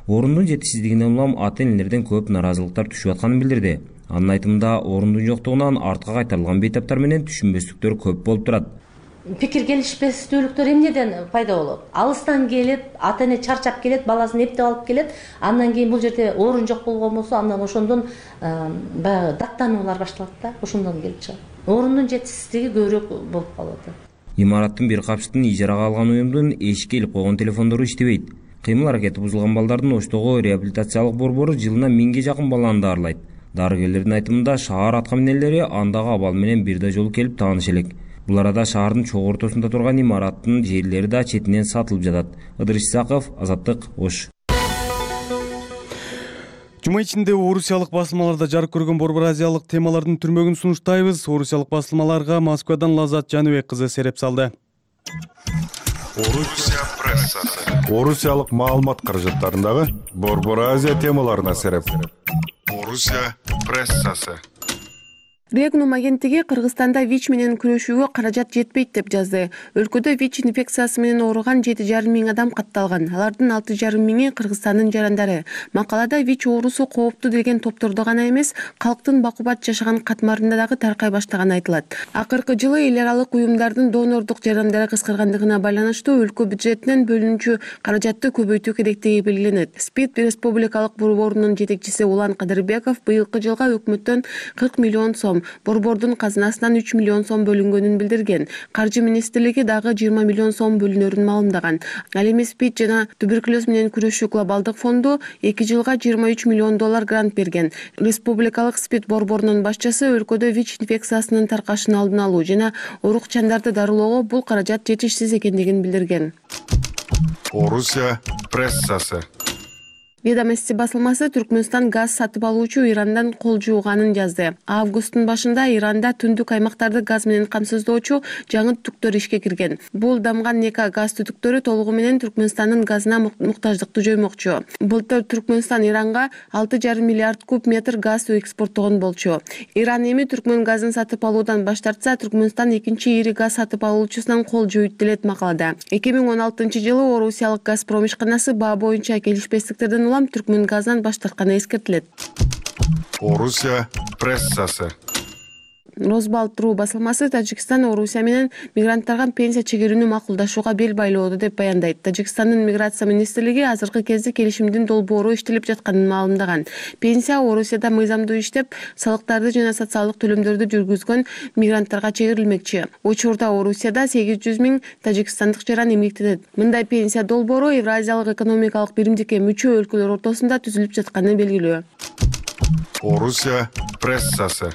орундун жетишсиздигинен улам ата-энелерден көп наразылыктар түшүп атканын билдирди. Анын айтымында орундун жоктугунан артка кайтарылган бейтаптар менен түшүнбөстүктөр көп болуп турат. Пикир келишпестүүлүктөр эмнеден пайда болот? Алыстан келип, ата-эне чарчап келет, баласын эптеп алып келет. Андан кийин бул жерде орун жок болгон болсо, андан ошондон баягы даттануулар башталат да, ошондон келип чыгат. Орундун жетишсиздиги көбүрөөк болуп калат. Имараттын бир капчыктын ижарага алган уюмдун эшикке илип койгон телефондору иштебейт. Кыймыл аракети бузулган балдардын Оштогу реабилитациялык борбору жылына миңге жакын баланы даарылайт. Дарыгерлердин айтымында шаар аткаминерлери андагы абал менен бир да жолу келип тааныш элек. Бул арада шаардын чогуу ортосунда турган имараттын жерлери да четинен сатылып жатат. Ыдырыш Исаков, Азаттык, Ош. Жума ичинде орусиялык басылмаларда жарык көргөн борбор азиялык темалардын түрмөгүн сунуштайбыз. Орусиялык басылмаларга Москвадан Лазат Жаныбек кызы сереп салды. Орусия прессасы. Орусиялык маалымат каражаттарындагы борбор азия темаларына сереп. Орусия прессасы. Регнум агенттиги Кыргызстанда ВИЧ менен күрөшүүгө каражат жетпейт деп жазды. Өлкөдө ВИЧ инфекциясы менен ооруган жети жарым миң адам катталган. Алардын алты жарым миңи Кыргызстандын жарандары. Макалада ВИЧ оорусу кооптуу деген топтордо гана эмес, калктын бакубат жашаган катмарында дагы таркай баштаганы айтылат. Акыркы жылы эл аралык уюмдардын донордук жарандары кыскаргандыгына байланыштуу өлкө бюджетинен бөлүнүүчү каражатты көбөйтүү керектиги белгиленет. СПИД республикалык борборунун жетекчиси Улан Кадырбеков быйылкы жылга өкмөттөн кырк миллион сом, борбордун казынасынан үч миллион сом бөлүнгөнүн билдирген. Каржы министрлиги дагы жыйырма миллион сом бөлүнөрүн маалымдаган. Ал эми СПИД жана туберкулез менен күрөшүү глобалдык фонду эки жылга жыйырма үч миллион доллар грант берген. Республикалык СПИД борборунун башчысы өлкөдө ВИЧ инфекциясынын таркашын алдын алуу жана оорукчандарды дарылоого бул каражат жетишсиз экендигин билдирген. Орусия прессасы. Ведомости басылмасы Түркмөнстан газ сатып алуучу Ирандан кол жууганын жазды. Августтун башында Иранда түндүк аймактарды газ менен камсыздоочу жаңы түтүктөр ишке кирген. Бул дамган Нека газ түтүктөрү толугу менен Түркмөнстандын газына муктаждыкты жоймокчу. Былтыр Түркмөнстан Иранга алты жарым миллиард куб метр газ экспорттогон болчу. Иран эми Түркмөн газын сатып алуудан баш тартса, Түркмөнстан экинчи ири газ сатып алуучусунан кол жууйт делет макалада. эки миң он алтынчы жылы Орусиялык Газпром ишканасы баа боюнча келишпестиктерден Түркмөн газдан баш тартканы эскертилет. Орусия прессасы. Росбалт.ру басылмасы Тажикстан Орусия менен мигранттарга пенсия чегерүүнү макулдашууга бел байлоодо деп баяндайт. Тажикстандын миграция министрлиги азыркы кезде келишимдин долбоору иштелип жатканын маалымдаган. Пенсия Орусияда мыйзамдуу иштеп, салыктарды жана социалдык төлөмдөрдү жүргүзгөн мигранттарга чегерилмекчи. Учурда Орусияда сегиз жүз миң тажикстандык жаран эмгектенет. Мындай пенсия долбоору Евразиялык экономикалык биримдикке мүчө өлкөлөр ортосунда түзүлүп жатканы белгилүү. Орусия прессасы.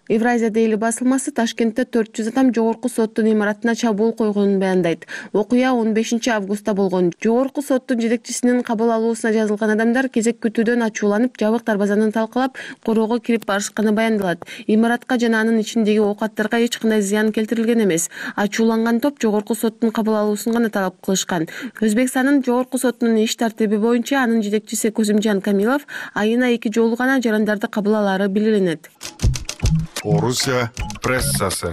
Евразия Дейли басылмасы Ташкентте төрт жүз адам жогорку соттун имаратына чабуул койгонун баяндайт. Окуя он бешинчи августта болгон. Жогорку соттун жетекчисинин кабыл алуусуна жазылган адамдар кезек күтүүдөн ачууланып, жабык дарбазаны талкалап, короого кирип барышканы баяндалат. Имаратка жана анын ичиндеги оокаттарга эч кандай зыян келтирилген эмес. Ачууланган топ жогорку соттун кабыл алуусун гана талап кылышкан. Өзбекстандын жогорку сотунун иш тартиби боюнча анын жетекчиси Козимжан Камилов айына эки жолу гана жарандарды кабыл алаары белгиленет. Орусия прессасы.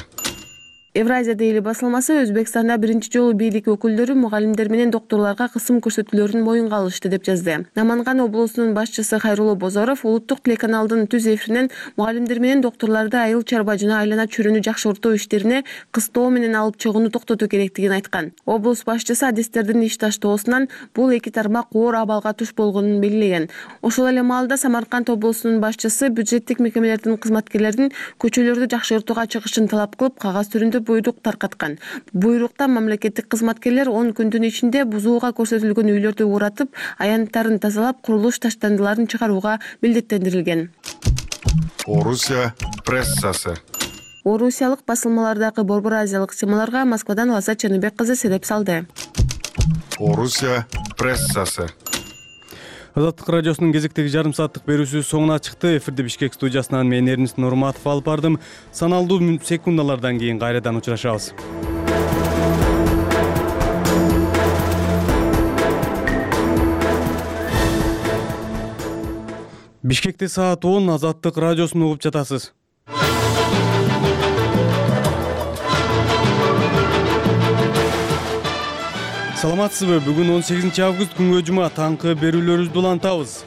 Евразия дейли басылмасы Өзбекстанда биринчи жолу бийлик өкүлдөрү мугалимдер менен докторлорго кысым көрсөтүүлөрүн моюнга алышты деп жазды. Наманган облусунун башчысы Хайрулло Бозоров улуттук телеканалдын түз эфиринен мугалимдер менен докторлорду айыл чарба жана айлана чөйрөнү жакшыртуу иштерине кыстоо менен алып чыгууну токтотуу керектигин айткан. Облус башчысы адистердин иш таштоосунан бул эки тармак оор абалга туш болгонун белгилеген. Ошол эле маалда Самарканд облусунун башчысы бюджеттик мекемелердин кызматкерлеринин көчөлөрдү жакшыртууга чыгышын талап кылып, кагаз түрүндө буйрук таркаткан. Буйрукта мамлекеттик кызматкерлер он күндүн ичинде бузууга көрсөтүлгөн үйлөрдү уратып, аянттарын тазалап, курулуш таштандыларын чыгарууга милдеттендирилген. Орусия прессасы. Орусиялык басылмалардагы борбор азиялык темаларга Москвадан Лаззат Чаныбек кызы сереп салды. Орусия прессасы. Азаттык радиосунун кезектеги жарым сааттык берүүсү соңуна чыкты. Эфирде Бишкек студиясынан мен Эрнис Нурматов алып бардым. Саналдуу секундалардан кийин кайрадан учурашабыз. Бишкекте саат он. Азаттык радиосун угуп жатасыз. Саламатсызбы? Бүгүн он сегизинчи август күнгө жума таңкы берүүлөрүбүздү улантабыз.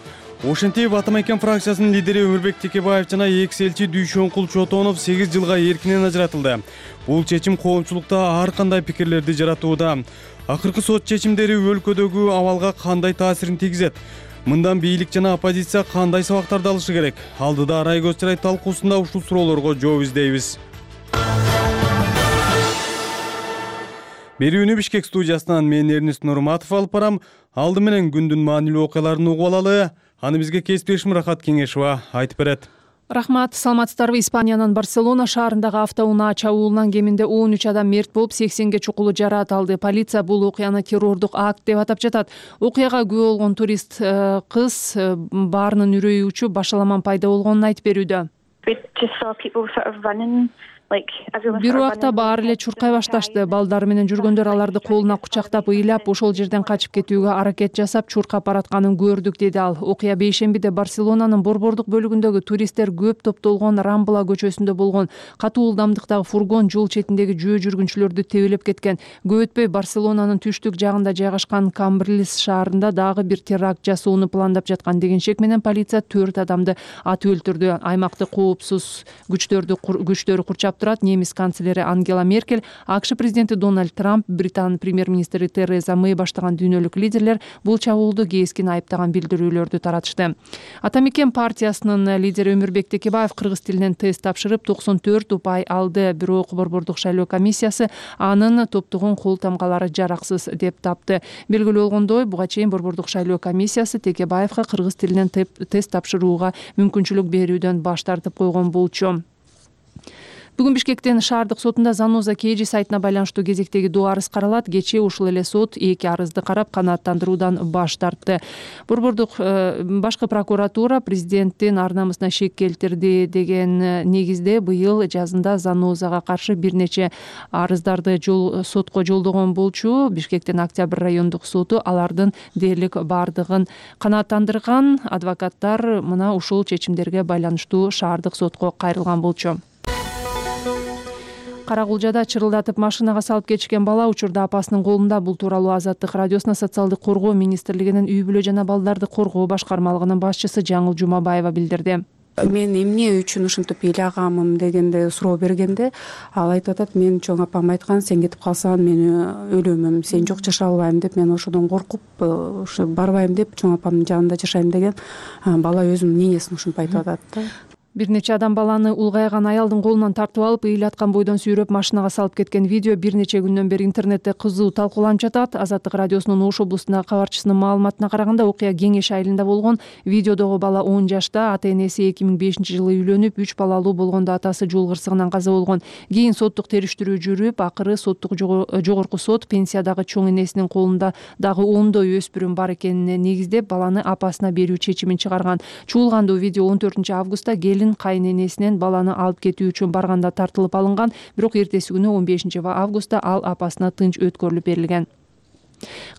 Ошентип Атамекен фракциясынын лидери Өмүрбек Текебаев жана экс элчи Дүйшөнкул Чотонов сегиз жылга эркинен ажыратылды. Бул чечим коомчулукта ар кандай пикирлерди жаратууда. Акыркы сот чечимдери өлкөдөгү абалга кандай таасирин тийгизет? Мындан бийлик жана оппозиция кандай сабактарды алышы керек? Алдыда арай көз чырай талкуусунда ушул суроолорго жооп издейбиз. Берүүнү Бишкек студиясынан мен Эрнис Нурматов алып барам. Алды менен күндүн маанилүү окуяларын угуп алалы. Аны бизге кесиптешим Рахат Кеңешова айтып берет. Рахмат, саламатсыздарбы? Испаниянын Барселона шаарындагы автоунаа чабуулунан кеминде он үч адам мерт болуп, сексенге чукулу жараат алды. Полиция бул окуяны террордук акт деп атап жатат. Окуяга күбө болгон турист кыз баарынын үрөйү учуп, башаламан пайда болгонун айтып берүүдө. Бир убакта баары эле чуркай башташты. Балдар менен жүргөндөр аларды колуна кучактап, ыйлап, ошол жерден качып кетүүгө аракет жасап, чуркап баратканын көрдүк, деди ал. Окуя бейшембиде Барселонанын борбордук бөлүгүндөгү туристтер көп топтолгон Рамбла көчөсүндө болгон. Катуу ылдамдыктагы фургон жол четиндеги жөө жүргүнчүлөрдү тебелеп кеткен. Көп өтпөй Барселонанын түштүк жагында жайгашкан Камбрилес шаарында дагы бир теракт жасоону пландап жаткан деген шек менен полиция төрт адамды атып өлтүрдү. Аймакты коопсуз күчтөрдү күчтөрү курчап турат. Немис канцлери Ангела Меркель, АКШ президенти Дональд Трамп, Британ премьер-министри Тереза Мэй баштаган дүйнөлүк лидерлер бул чабуулду кескин айыптаган билдирүүлөрдү таратышты. Атамекен партиясынын лидери Өмүрбек Текебаев кыргыз тилинен тест тапшырып токсон төрт упай алды. Бирок борбордук шайлоо комиссиясы анын топтогон кол тамгалары жараксыз деп тапты. Белгилүү болгондой, буга чейин борбордук шайлоо комиссиясы Текебаевга кыргыз тилинен тест тапшырууга мүмкүнчүлүк берүүдөн баш тартып койгон болчу. Бүгүн Бишкектен шаардык сотунда Заноза Кейжи сайтына байланыштуу кезектеги доо арыз каралат. Кечээ ушул эле сот эки арызды карап канааттандыруудан баш тартты. Борбордук башкы прокуратура президенттин ар намысына шек келтирди деген негизде быйыл жазында Занозага каршы бир нече арыздарды жол сотко жолдогон болчу. Бишкектин Октябрь райондук соту алардын дээрлик бардыгын канааттандырган. Адвокаттар мына ушул чечимдерге байланыштуу шаардык сотко кайрылган болчу. Каракулжада чырылдатып машинага салып кетишкен бала учурда апасынын колунда. Бул тууралуу Азаттык радиосуна социалдык коргоо министрлигинин үй бүлө жана балдарды коргоо башкармалыгынын башчысы Жаңыл Жумабаева билдирди. Мен эмне үчүн ушинтип ыйлагамын дегенде суроо бергенде ал айтып атат: мен чоң апам айткан, сен кетип калсаң мен өлөмүм, сен жок жашай албайм деп, мен ошодон коркуп ушу барбайм деп чоң апамдын жанында жашайм деген бала өзүнүн ненесин ушинтип айтып атат да. Бир нече адам баланы улгайган аялдын колунан тартып алып, ыйлаткан бойдон сүйрөп машинага салып кеткен видео бир нече күндөн бери интернетте кызуу талкууланып жатат. Азаттык радиосунун Ош облусундагы кабарчысынын маалыматына караганда, окуя Кеңеш айылында болгон. Видеодогу бала он жашта, ата-энеси эки миң бешинчи жылы үйлөнүп, үч балалуу болгондо атасы жол кырсыгынан каза болгон. Кийин соттук териштирүү жүрүп, акыры соттук жогорку сот пенсиядагы чоң энесинин колунда дагы ондой өспүрүм бар экенине негиздеп, баланы апасына берүү чечимин чыгарган. Чуулгандуу видео он төртүнчү августта келин кайненесинен баланы алып кетүү үчүн барганда тартылып алынган, бирок эртеси күнү он бешинчи августта ал апасына тынч өткөрүлүп берилген.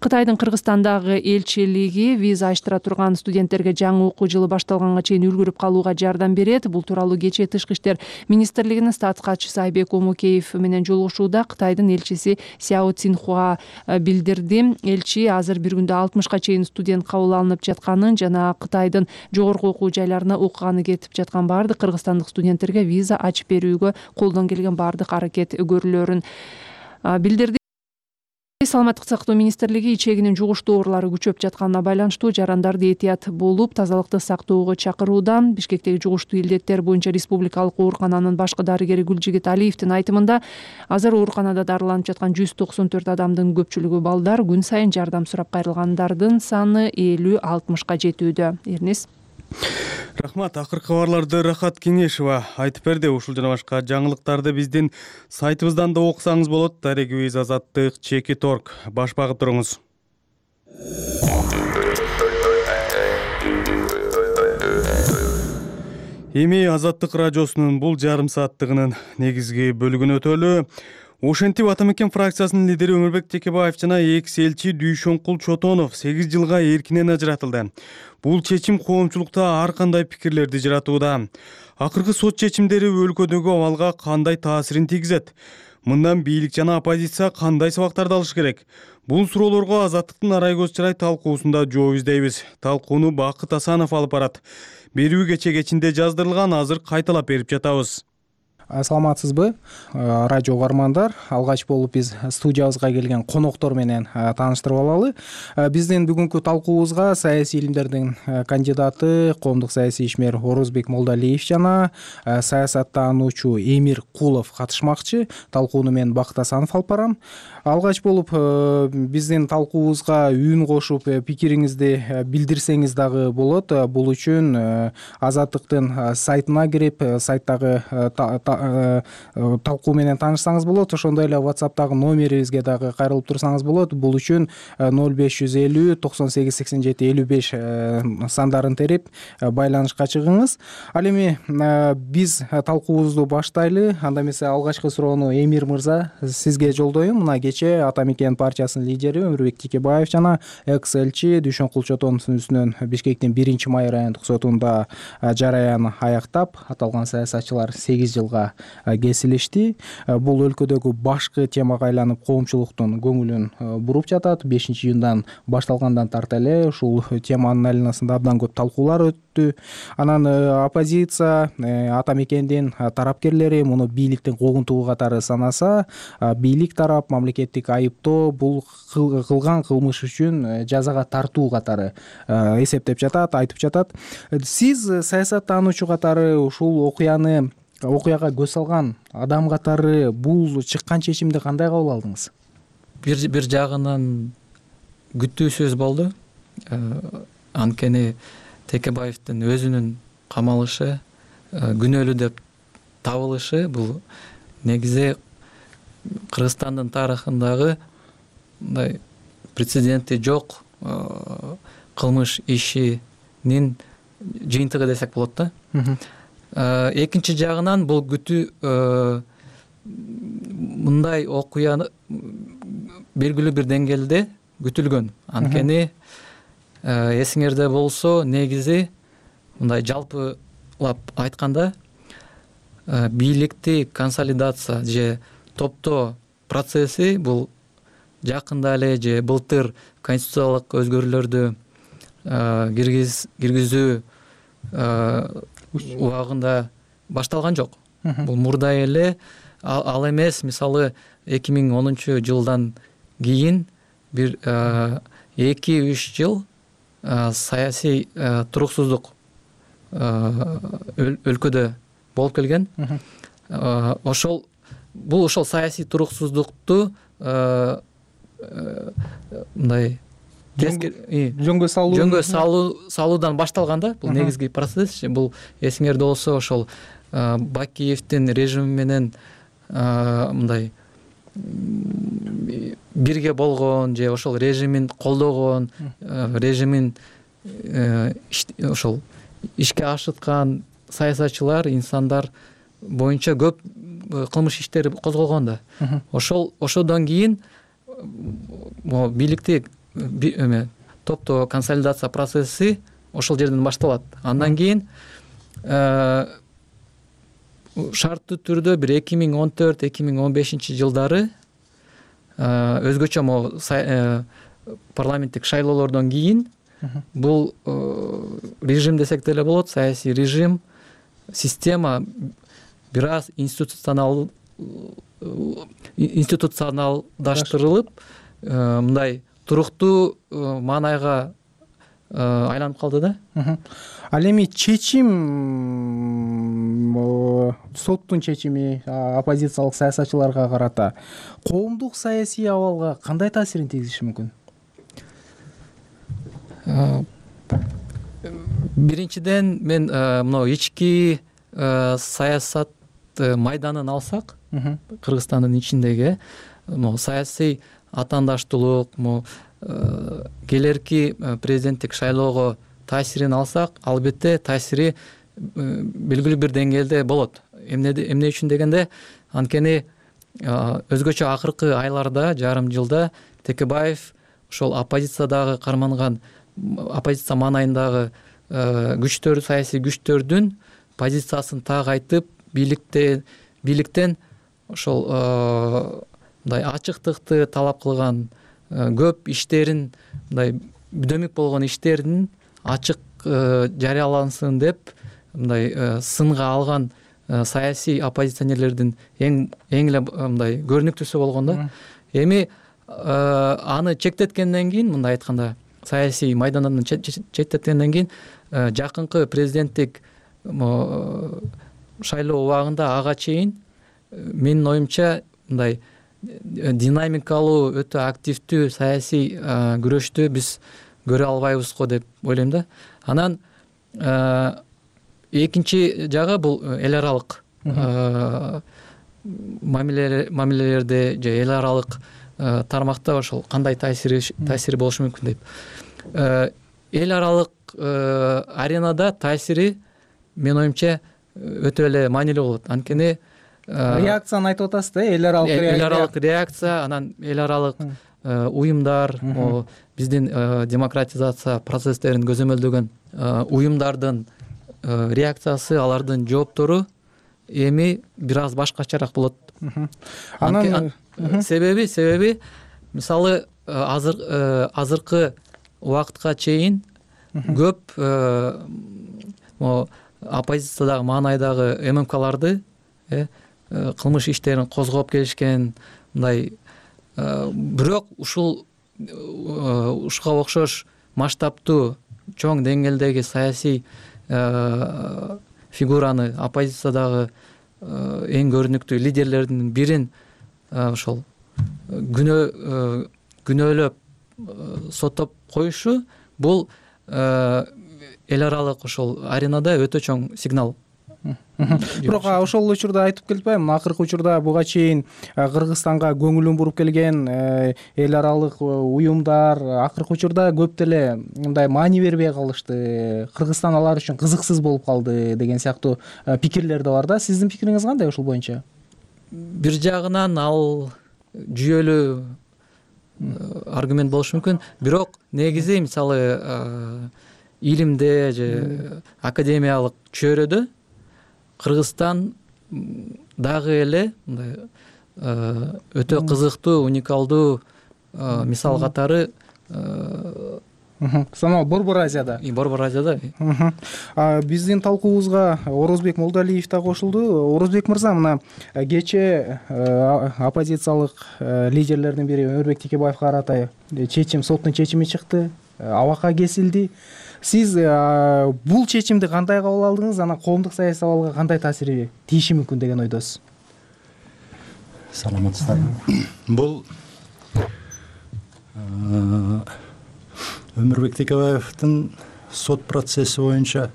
Кытайдын Кыргызстандагы элчилиги виза ачтыра турган студенттерге жаңы окуу жылы башталганга чейин үлгүрүп калууга жардам берет. Бул тууралуу кечээ Тышкы иштер министрлигинин статс катчысы Айбек Омукеев менен жолугушууда Кытайдын элчиси Сяо Цинхуа билдирди. Элчи азыр бир күндө алтымышка чейин студент кабыл алынып жатканын жана Кытайдын жогорку окуу жайларына окуганы кетип жаткан баардык кыргызстандык студенттерге виза ачып берүүгө колдон келген баардык аракет көрүлөөрүн билдирди. Саламаттык сактоо министрлиги ичегинин жугуштуу оорулары күчөп жатканына байланыштуу жарандарды этият болуп тазалыкты сактоого чакырууда. Бишкектеги жугуштуу илдеттер боюнча республикалык оорукананын башкы дарыгери Гүлжигит Алиевдин айтымында азыр ооруканада дарыланып жаткан жүз токсон төрт адамдын көпчүлүгү балдар, күн сайын жардам сурап кайрылгандардын саны элүү алтымышка жетүүдө. Эрнис. Рахмат, акыркы кабарларды Рахат Кеңешова айтып берди. Ушул жана башка жаңылыктарды биздин сайтыбыздан да окусаңыз болот. Дарегибиз Азаттык чекит орг. Баш багып туруңуз. Эми Азаттык радиосунун бул жарым сааттыгынын негизги бөлүгүнө өтөлү. Ошентип Ата мекен фракциясынын лидери Өмүрбек Текебаев жана экс элчи Дүйшөнкул Чотонов сегиз жылга эркинен ажыратылды. Бул чечим коомчулукта ар кандай пикирлерди жаратууда. Акыркы сот чечимдери өлкөдөгү абалга кандай таасирин тийгизет? Мындан бийлик жана оппозиция кандай сабактарды алыш керек? Бул суроолорго Азаттыктын арай көз чырай талкуусунда жооп издейбиз. Талкууну Бакыт Асанов алып барат. Берүү кече кечинде жаздырылган, азыр кайталап берип жатабыз. Саламатсызбы, радио угармандар. Алгач болуп биз студиябызга келген коноктор менен тааныштырып алалы. Биздин бүгүнкү талкуубузга саясий илимдердин кандидаты, коомдук саясий ишмер Орозбек Молдалиев жана саясаттануучу Эмир Кулов катышмакчы. Талкууну мен Бакыт Асанов алып барам. Алгач болуп биздин талкуубузга үн кошуп пикириңизди билдирсеңиз дагы болот. Бул үчүн Азаттыктын сайтына кирип, сайттагы талкуу менен таанышсаңыз болот. Ошондой эле WhatsApp'тагы номерибизге дагы кайрылып турсаңыз болот. Бул үчүн ноль беш жүз элүү токсон сегиз сексен жети элүү беш сандарын терип байланышка чыгыңыз. Ал эми биз талкуубузду баштайлы. Анда эмесе алгачкы суроону Эмир мырза сизге жолдоюм. Мына кечээ Ата мекен партиясынын лидери Өмүрбек Текебаев жана экс элчи Дүйшөнкул Чотоновдун үстүнөн Бишкектин биринчи май райондук сотунда жараян аяктап, аталган саясатчылар сегиз жылга кесилишти. Бул өлкөдөгү башкы темага айланып коомчулуктун көңүлүн буруп жатат. бешинчи июндан башталгандан тарта эле ушул теманын айланасында абдан көп талкуулар өттү. Анан оппозиция, Ата мекендин тарапкерлери муну бийликтин куугунтугу катары санаса, бийлик тарап мамлекеттик айыптоо бул кылган кылмыш үчүн жазага тартуу катары эсептеп жатат, айтып жатат. Сиз саясаттануучу катары ушул окуяны окуяга көз салган адам катары бул чыккан чечимди кандай кабыл алдыңыз? Бир бир жагынан күтүүсүз болду. Анткени Текебаевдин өзүнүн камалышы, күнөөлүү деп табылышы бул негизи Кыргызстандын тарыхындагы мындай прецеденти жок кылмыш ишинин жыйынтыгы десек болот да. Экинчи жагынан бул күтүү мындай окуяны белгилүү бир деңгээлде күтүлгөн. Анткени эсиңерде болсо, негизи мындай жалпылап айтканда бийликти консолидация же топтоо процесси бул жакында эле же былтыр конституциялык өзгөрүүлөрдү киргизүү убагында башталган жок. Бул мурда эле ал эмес, мисалы эки миң онунчу жылдан кийин бир эки үч жыл саясий туруксуздук өлкөдө болуп келген. Ошол бул ошол саясий туруксуздукту мындай жөнгө салуу жөнгө салуудан башталган да. Бул негизги процесс. Бул эсиңерде болсо ошол Бакиевдин режими менен мындай бирге болгон же ошол режимин колдогон, режимин ошол ишке ашыткан саясатчылар, инсандар боюнча көп кылмыш иштери козголгон да. Ошол ошодон кийин могу бийликти эме топтоо консолидация процесси ошол жерден башталат. Андан кийин шарттуу түрдө бир эки миң он төрт эки миң он бешинчи жылдары өзгөчө могу парламенттик шайлоолордон кийин бул режим десек деле болот, саясий режим, система бир аз институционал институционалдаштырылып мындай туруктуу маанайга айланып калды да. Ал эми чечим, соттун чечими оппозициялык саясатчыларга карата коомдук саясий абалга кандай таасирин тийгизиши мүмкүн? Биринчиден мен мына ички саясат майданын алсак, Кыргызстандын ичиндеги могу саясий атаандаштуулук, могу келерки президенттик шайлоого таасирин алсак, албетте таасири белгилүү бир деңгээлде болот. Эмне үчүн дегенде, анткени өзгөчө акыркы айларда, жарым жылда Текебаев ошол оппозициядагы карманган, оппозиция маанайындагы күчтөр, саясий күчтөрдүн позициясын так айтып, бийликтен ошол мындай ачыктыкты талап кылган, көп иштерин, мындай дөмүк болгон иштердин ачык жарыялансын деп мындай сынга алган саясий оппозиционерлердин эң эле мындай көрүнүктүүсү болгон да. Эми аны чектеткенден кийин, мындай айтканда, саясий майдандан четтеткенден кийин жакынкы президенттик шайлоо убагында ага чейин менин оюмча мындай динамикалуу, өтө активдүү саясий күрөштү биз көрө албайбызго деп ойлойм да. Анан экинчи жагы бул эл аралык мамилелерде же эл аралык тармакта ошол кандай таасири таасири болушу мүмкүн деп. Эл аралык аренада таасири менин оюмча өтө эле маанилүү болот. Анткени реакцияны айтып атасыз да, эл аралык эл аралык реакция, анан эл аралык уюмдар, биздин демократизация процесстерин көзөмөлдөгөн уюмдардын реакциясы, алардын жооптору эми бир аз башкачараак болот. Анан себеби себеби мисалы азыр азыркы убакытка чейин көп оппозициядагы маанайдагы ММКларды кылмыш иштерин козгоп келишкен, мындай бирок ушул ушуга окшош масштабтуу чоң деңгээлдеги саясий фигураны, оппозициядагы эң көрүнүктүү лидерлердин бирин ошол күнөөлөп соттоп коюшу бул эл аралык ошол аренада өтө чоң сигнал. Бирок ошол учурда айтып келбайм, акыркы учурда буга чейин Кыргызстанга көңүлүн буруп келген эл аралык уюмдар акыркы учурда көп деле мындай маани бербей калышты. Кыргызстан алар үчүн кызыксыз болуп калды деген сыяктуу пикирлер да бар да. Сиздин пикириңиз кандай ушул боюнча? Бир жагынан ал жүйөлүү аргумент болушу мүмкүн, бирок негизи мисалы илимде же академиялык чөйрөдө Кыргызстан дагы эле мындай өтө кызыктуу, уникалдуу мисал катары саналат Борбор Азияда. Борбор Азияда. Биздин талкуубузга Орозбек Молдалиев да кошулду. Орозбек мырза, мына кечээ оппозициялык лидерлердин бири Өмүрбек Текебаевге карата чечим, соттун чечими чыкты, абакка кесилди. Сиз бул чечимди кандай кабыл алдыңыз? Анан коомдук саясий абалга кандай таасири тийиши мүмкүн деген ойдосуз? Саламатсыздарбы. Бул Өмүрбек Текебаевдин сот процесси боюнча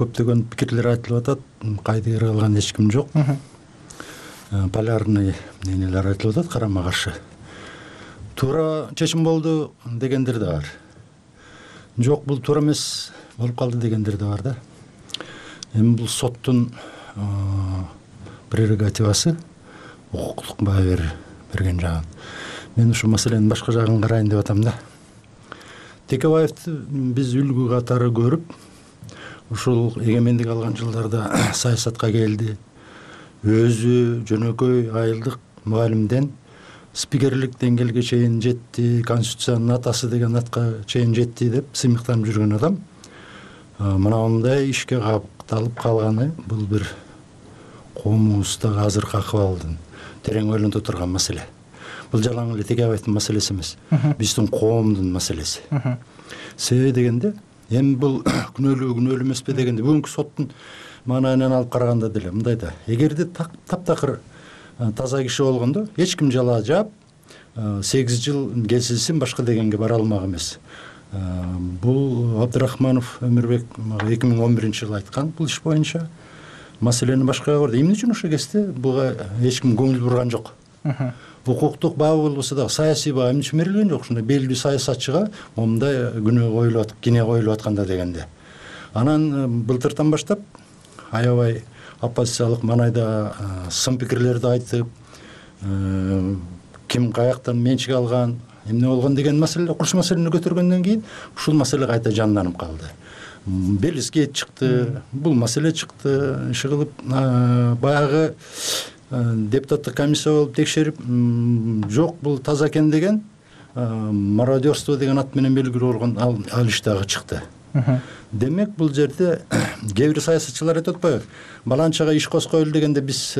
көптөгөн пикирлер айтылып атат. Кайдыгер кылган эч ким жок. Полярный мнениелер айтылып атат, карама каршы. Туура чечим болду дегендер да бар. Жок, бул туура эмес болуп калды дегендер да бар да. Эми бул соттун прерогативасы, укуктук баа берген жагы. мен ушул маселенин башка жагын карайын деп атам да. Текебаевди биз үлгү катары көрүп, ушул эгемендик алган жылдарда саясатка келди. Өзү жөнөкөй айылдык мугалимден спикерлик деңгээлге чейин жетти, конституциянын атасы деген атка чейин жетти деп сыймыктанып жүргөн адам мына мындай ишке капталып калганы бул бир коомубуздагы азыркы акыбалдын терең ойлонто турган маселе. Бул жалаң эле Текебаевдин маселеси эмес, биздин коомдун маселеси. Себеби дегенде, эми бул күнөөлүү күнөөлүү эмеспи дегенде, бүгүнкү соттун маанайынан алып караганда деле мындай да, эгерде таптакыр таза киши болгондо эч ким жала жаап сегиз жыл кесилсин башка дегенге бара алмак эмес. Бул Абдрахманов Өмүрбек эки миң он биринчи жылы айткан бул иш боюнча маселени башкага көрдү. Эмне үчүн ошо кезде буга эч ким көңүл бурган жок. Укуктук бабы болбосо дагы саясий баа эмне үчүн берилген жок? Ушундай белгилүү саясатчыга момундай күнөө коюлуп атып, кине коюлуп атканда дегенде. Анан былтыртан баштап аябай оппозициялык маанайда сын пикирлерди айтып, ким каяктан менчик алган, эмне болгон деген маселе, курч маселени көтөргөндөн кийин ушул маселе кайта жанданып калды. Белизгейт чыкты, бул маселе чыкты, иши кылып баягы депутаттык комиссия болуп текшерип, жок бул таза экен деген, мародерство деген ат менен белгилүү болгон ал иш дагы чыкты. Демек бул жерде кээ бир саясатчылар айтып атпайбы? Баланчага иш козкойлу дегенде биз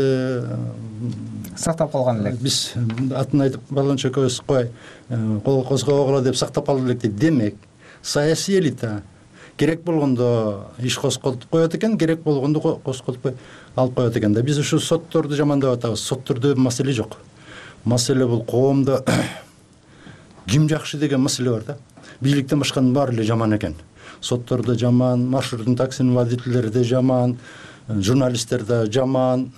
сактап калган элек. Биз атын айтып баланча козкой, кол козгобогула деп сактап калдык элек дейт. Демек саясий элита керек болгондо иш козкотуп коет экен, керек болгондо козкотпой алып коет экен да. Биз ушу сотторду жамандап атабыз. Соттордо маселе жок. Маселе бул коомдо ким жакшы деген маселе бар да. Бийликтен башканын баары эле жаман экен. Соттордо жаман, маршруттун таксинин водительдери да жаман, журналисттер да жаман,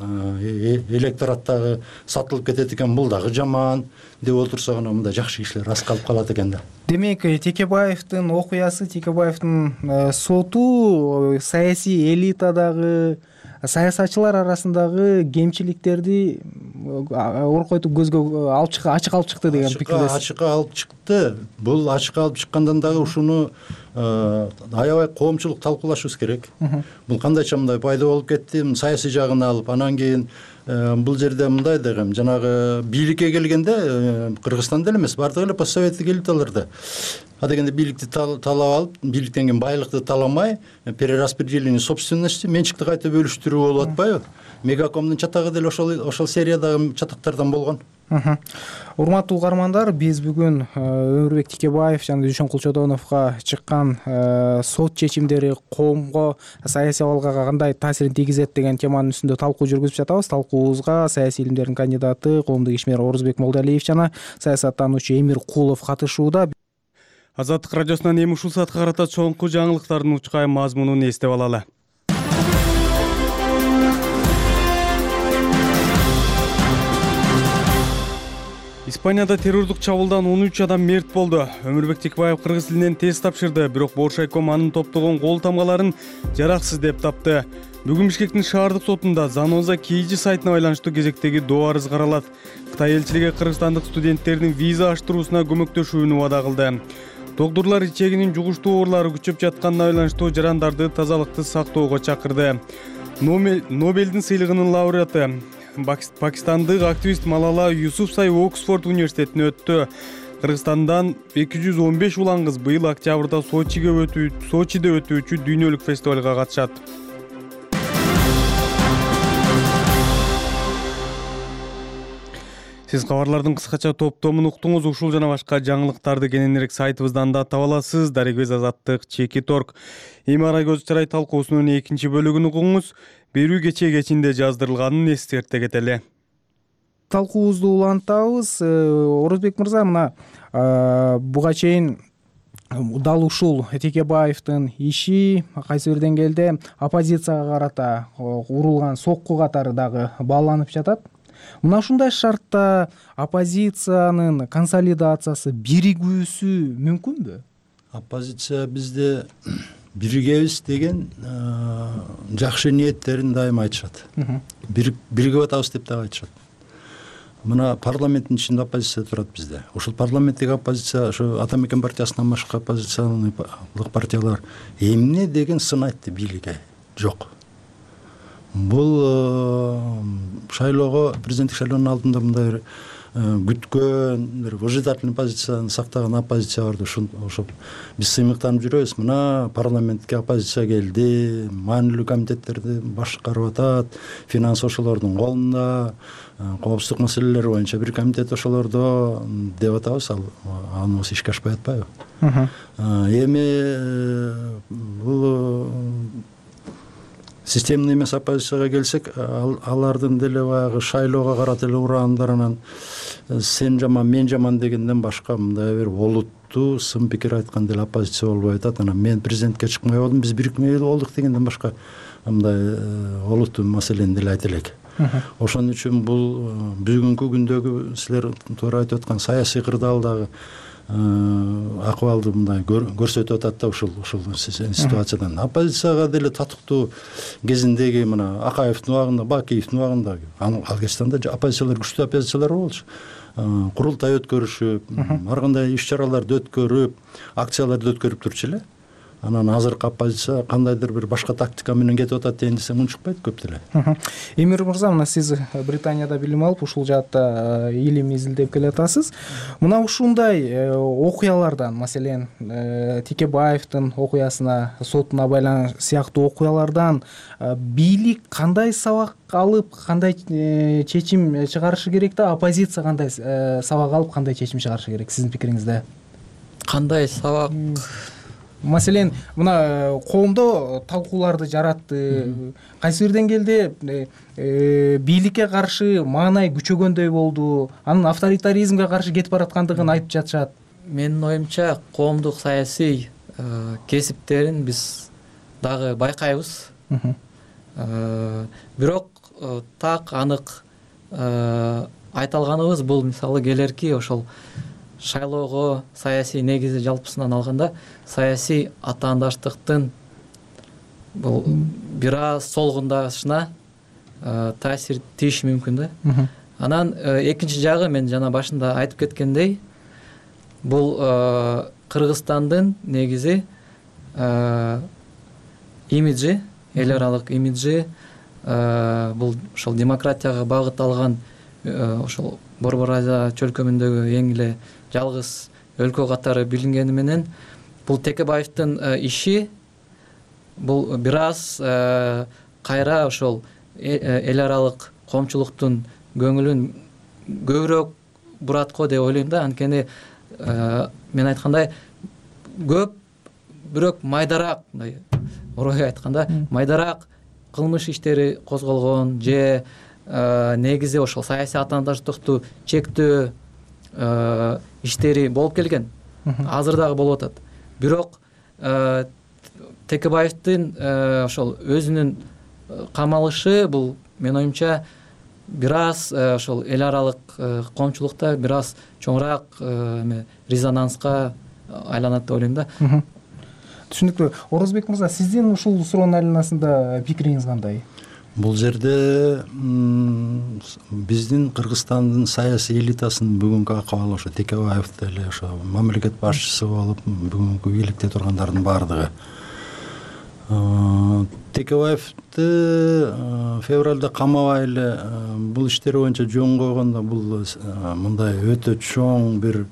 электораттагы сатылып кетет экен, бул дагы жаман деп отурса гана мындай жакшы кишилер аз калып калат экен да. Демек Текебаевдин окуясы, Текебаевдин соту саясий элитадагы саясатчылар арасындагы кемчиликтерди оркойтуп көзгө алып чыкты, ачык алып чыкты деген пикирдесиз. Ачык алып чыкты. Бул ачык алып чыккандан дагы ушуну аябай коомчулук талкуулашыбыз керек. Бул кандайча мындай пайда болуп кетти, саясий жагын алып, анан кийин бул жерде мындай дегем, жанагы бийликке келгенде Кыргызстанда эле эмес, бардыгы эле постсоветтик элиталарда. А дегенде бийликти талап алып, бийликтен кийин байлыкты таламай, перераспределение собственности, менчикти кайта бөлүштүрүү болуп атпайбы? Мегакомдун чатагы деле ошол ошол сериядагы чатактардан болгон. Урматтуу угармандар, биз бүгүн Өмүрбек Текебаев жана Дүйшөн Кулчодоновго чыккан сот чечимдери коомго, саясий абалга кандай таасирин тийгизет деген теманын үстүндө талкуу жүргүзүп жатабыз. Талкуубузга саясий илимдердин кандидаты, коомдук ишмер Орузбек Молдалиев жана саясаттануучу Эмир Кулов катышууда. Азаттык радиосунан эми ушул саатка карата чоңку жаңылыктардын учкай мазмунун эстеп алалы. Испанияда террордук чабуулдан он үч адам мерт болду. Өмүрбек Текебаев кыргыз тилинен тест тапшырды, бирок Боршайком анын топтогон кол тамгаларын жараксыз деп тапты. Бүгүн Бишкектин шаардык сотунда Заноза Кейжи сайтына байланыштуу кезектеги доо арыз каралат. Кытай элчилиги кыргызстандык студенттердин виза аштыруусуна көмөктөшүүнү вада кылды. Доктурлар ичегинин жугуштуу оорулары күчөп жатканына байланыштуу жарандарды тазалыкты сактоого чакырды. Нобелдин сыйлыгынын лауреаты пакистандык активист Малала Юсуфзай Оксфорд университетине өттү. Кыргызстандан эки жүз он беш улан кыз быйыл октябрда Сочиге өтүү, Сочиде өтүүчү дүйнөлүк фестивалга катышат. Сиз кабарлардын кыскача топтомун уктуңуз. Ушул жана башка жаңылыктарды кененирээк сайтыбыздан да таба аласыз. Дарегөз Азаттык чеки торг. Эми ара көз чырай талкуусунун экинчи бөлүгүн угуңуз. Берүү кечээ кечинде жаздырылганын эскерте кетели. Талкуубузду улантабыз. Орузбек мырза, мына буга чейин дал ушул Текебаевдин иши кайсы бир деңгээлде оппозицияга карата урулган сокку катары дагы бааланып жатат. Мына ушундай шартта оппозициянын консолидациясы, биригүүсү мүмкүнбү? Оппозиция бизде биригебиз деген жакшы ниеттерин дайыма айтышат. Биригип атабыз деп дагы айтышат. мына парламенттин ичинде оппозиция турат бизде. Ушул парламенттик оппозиция, ошо ата мекен партиясынан башка оппозициялык партиялар эмне деген сын айтты бийликке? Жок. Бул шайлоого, президенттик шайлоонун алдында мындай күткөн, бир выжидательный позицияны сактаган оппозиция барды. Ошо биз сыймыктанып жүрөбүз. Мына парламентке оппозиция келди, маанилүү комитеттерди башкарып атат, финанс ошолордун колунда, коопсуздук маселелери боюнча бир комитет ошолордо деп атабыз. Ал аныбыз ишке ашпай атпайбы? Эми бул системный эмес оппозицияга келсек, алардын деле баягы шайлоого карата эле ураандарынан сен жаман, мен жаман дегенден башка мындай бир олуттуу сын пикир айткан деле оппозиция болбой атат. Анан мен президентке чыкмай болдум, биз бирикмей болдук дегенден башка мындай олуттуу маселени деле айта элек. Ошон үчүн бул бүгүнкү күндөгү силер туура айтып аткан саясий кырдаалдагы акыбалды мындай көрсөтүп атат да ушул ушул ситуациядан. Оппозицияга деле татыктуу кезиндеги мына Акаевдин убагында, Бакиевдин убагында ал Кыргызстанда оппозициялар, күчтүү оппозициялар болчу. Курултай өткөрүшүп, ар кандай иш-чараларды өткөрүп, акцияларды өткөрүп турчу эле. Анан азыркы оппозиция кандайдыр бир башка тактика менен кетип атат дейин десем унчукпайт көп деле. Эмир мырза, мына сиз Британияда билим алып, ушул жаатта илим изилдеп келатасыз. Мына ушундай окуялардан, маселен, Текебаевдин окуясына, сотуна байланыш сыяктуу окуялардан бийлик кандай сабак алып, кандай чечим чыгарышы керек да, оппозиция кандай сабак алып, кандай чечим чыгарышы керек сиздин пикириңизде? Кандай сабак? Маселен, мына коомдо талкууларды жаратты. Кайсы бир деңгээлде бийликке каршы маанай күчөгөндөй болду. Анын авторитаризмге каршы кетип бараткандыгын айтып жатышат. Менин оюмча, коомдук саясий кесиптерин биз дагы байкайбыз. Бирок так анык айта алганыбыз бул мисалы келерки ошол шайлоого саясий негизи жалпысынан алганда саясий атаандаштыктын бул бир аз солгундашына таасир тийиши мүмкүн да. Анан экинчи жагы, мен жана башында айтып кеткендей, бул Кыргызстандын негизи имиджи, эл аралык имиджи, бул ошол демократияга багытталган ошол Борбор Азия чөлкөмүндөгү эң эле жалгыз өлкө катары билингени менен бул Текебаевдин иши бул бир аз кайра ошол эл аралык коомчулуктун көңүлүн көбүрөөк бурат го деп ойлойм да. Анткени мен айткандай көп, бирок майдараак, мындай орой айтканда майдараак кылмыш иштери козголгон же негизи ошол саясий атаандаштыкту чектөө иштери болуп келген. Азыр дагы болуп атат. Бирок Текебаевдин ошол өзүнүн камалышы бул менин оюмча бир аз ошол эл аралык коомчулукта бир аз чоңураак резонанска айланат деп ойлойм да. Түшүнүктүү. Орозбек мырза, сиздин ушул суроонун айланасында пикириңиз кандай? Бул жерде биздин Кыргызстандын саясий элитасынын бүгүнкү акыбалы ошо Текебаев деле ошо мамлекет башчысы болуп бүгүнкү бийликте тургандардын баардыгы. Текебаевди февралда камабай эле бул иштери боюнча жөн койгондо бул мындай өтө чоң бир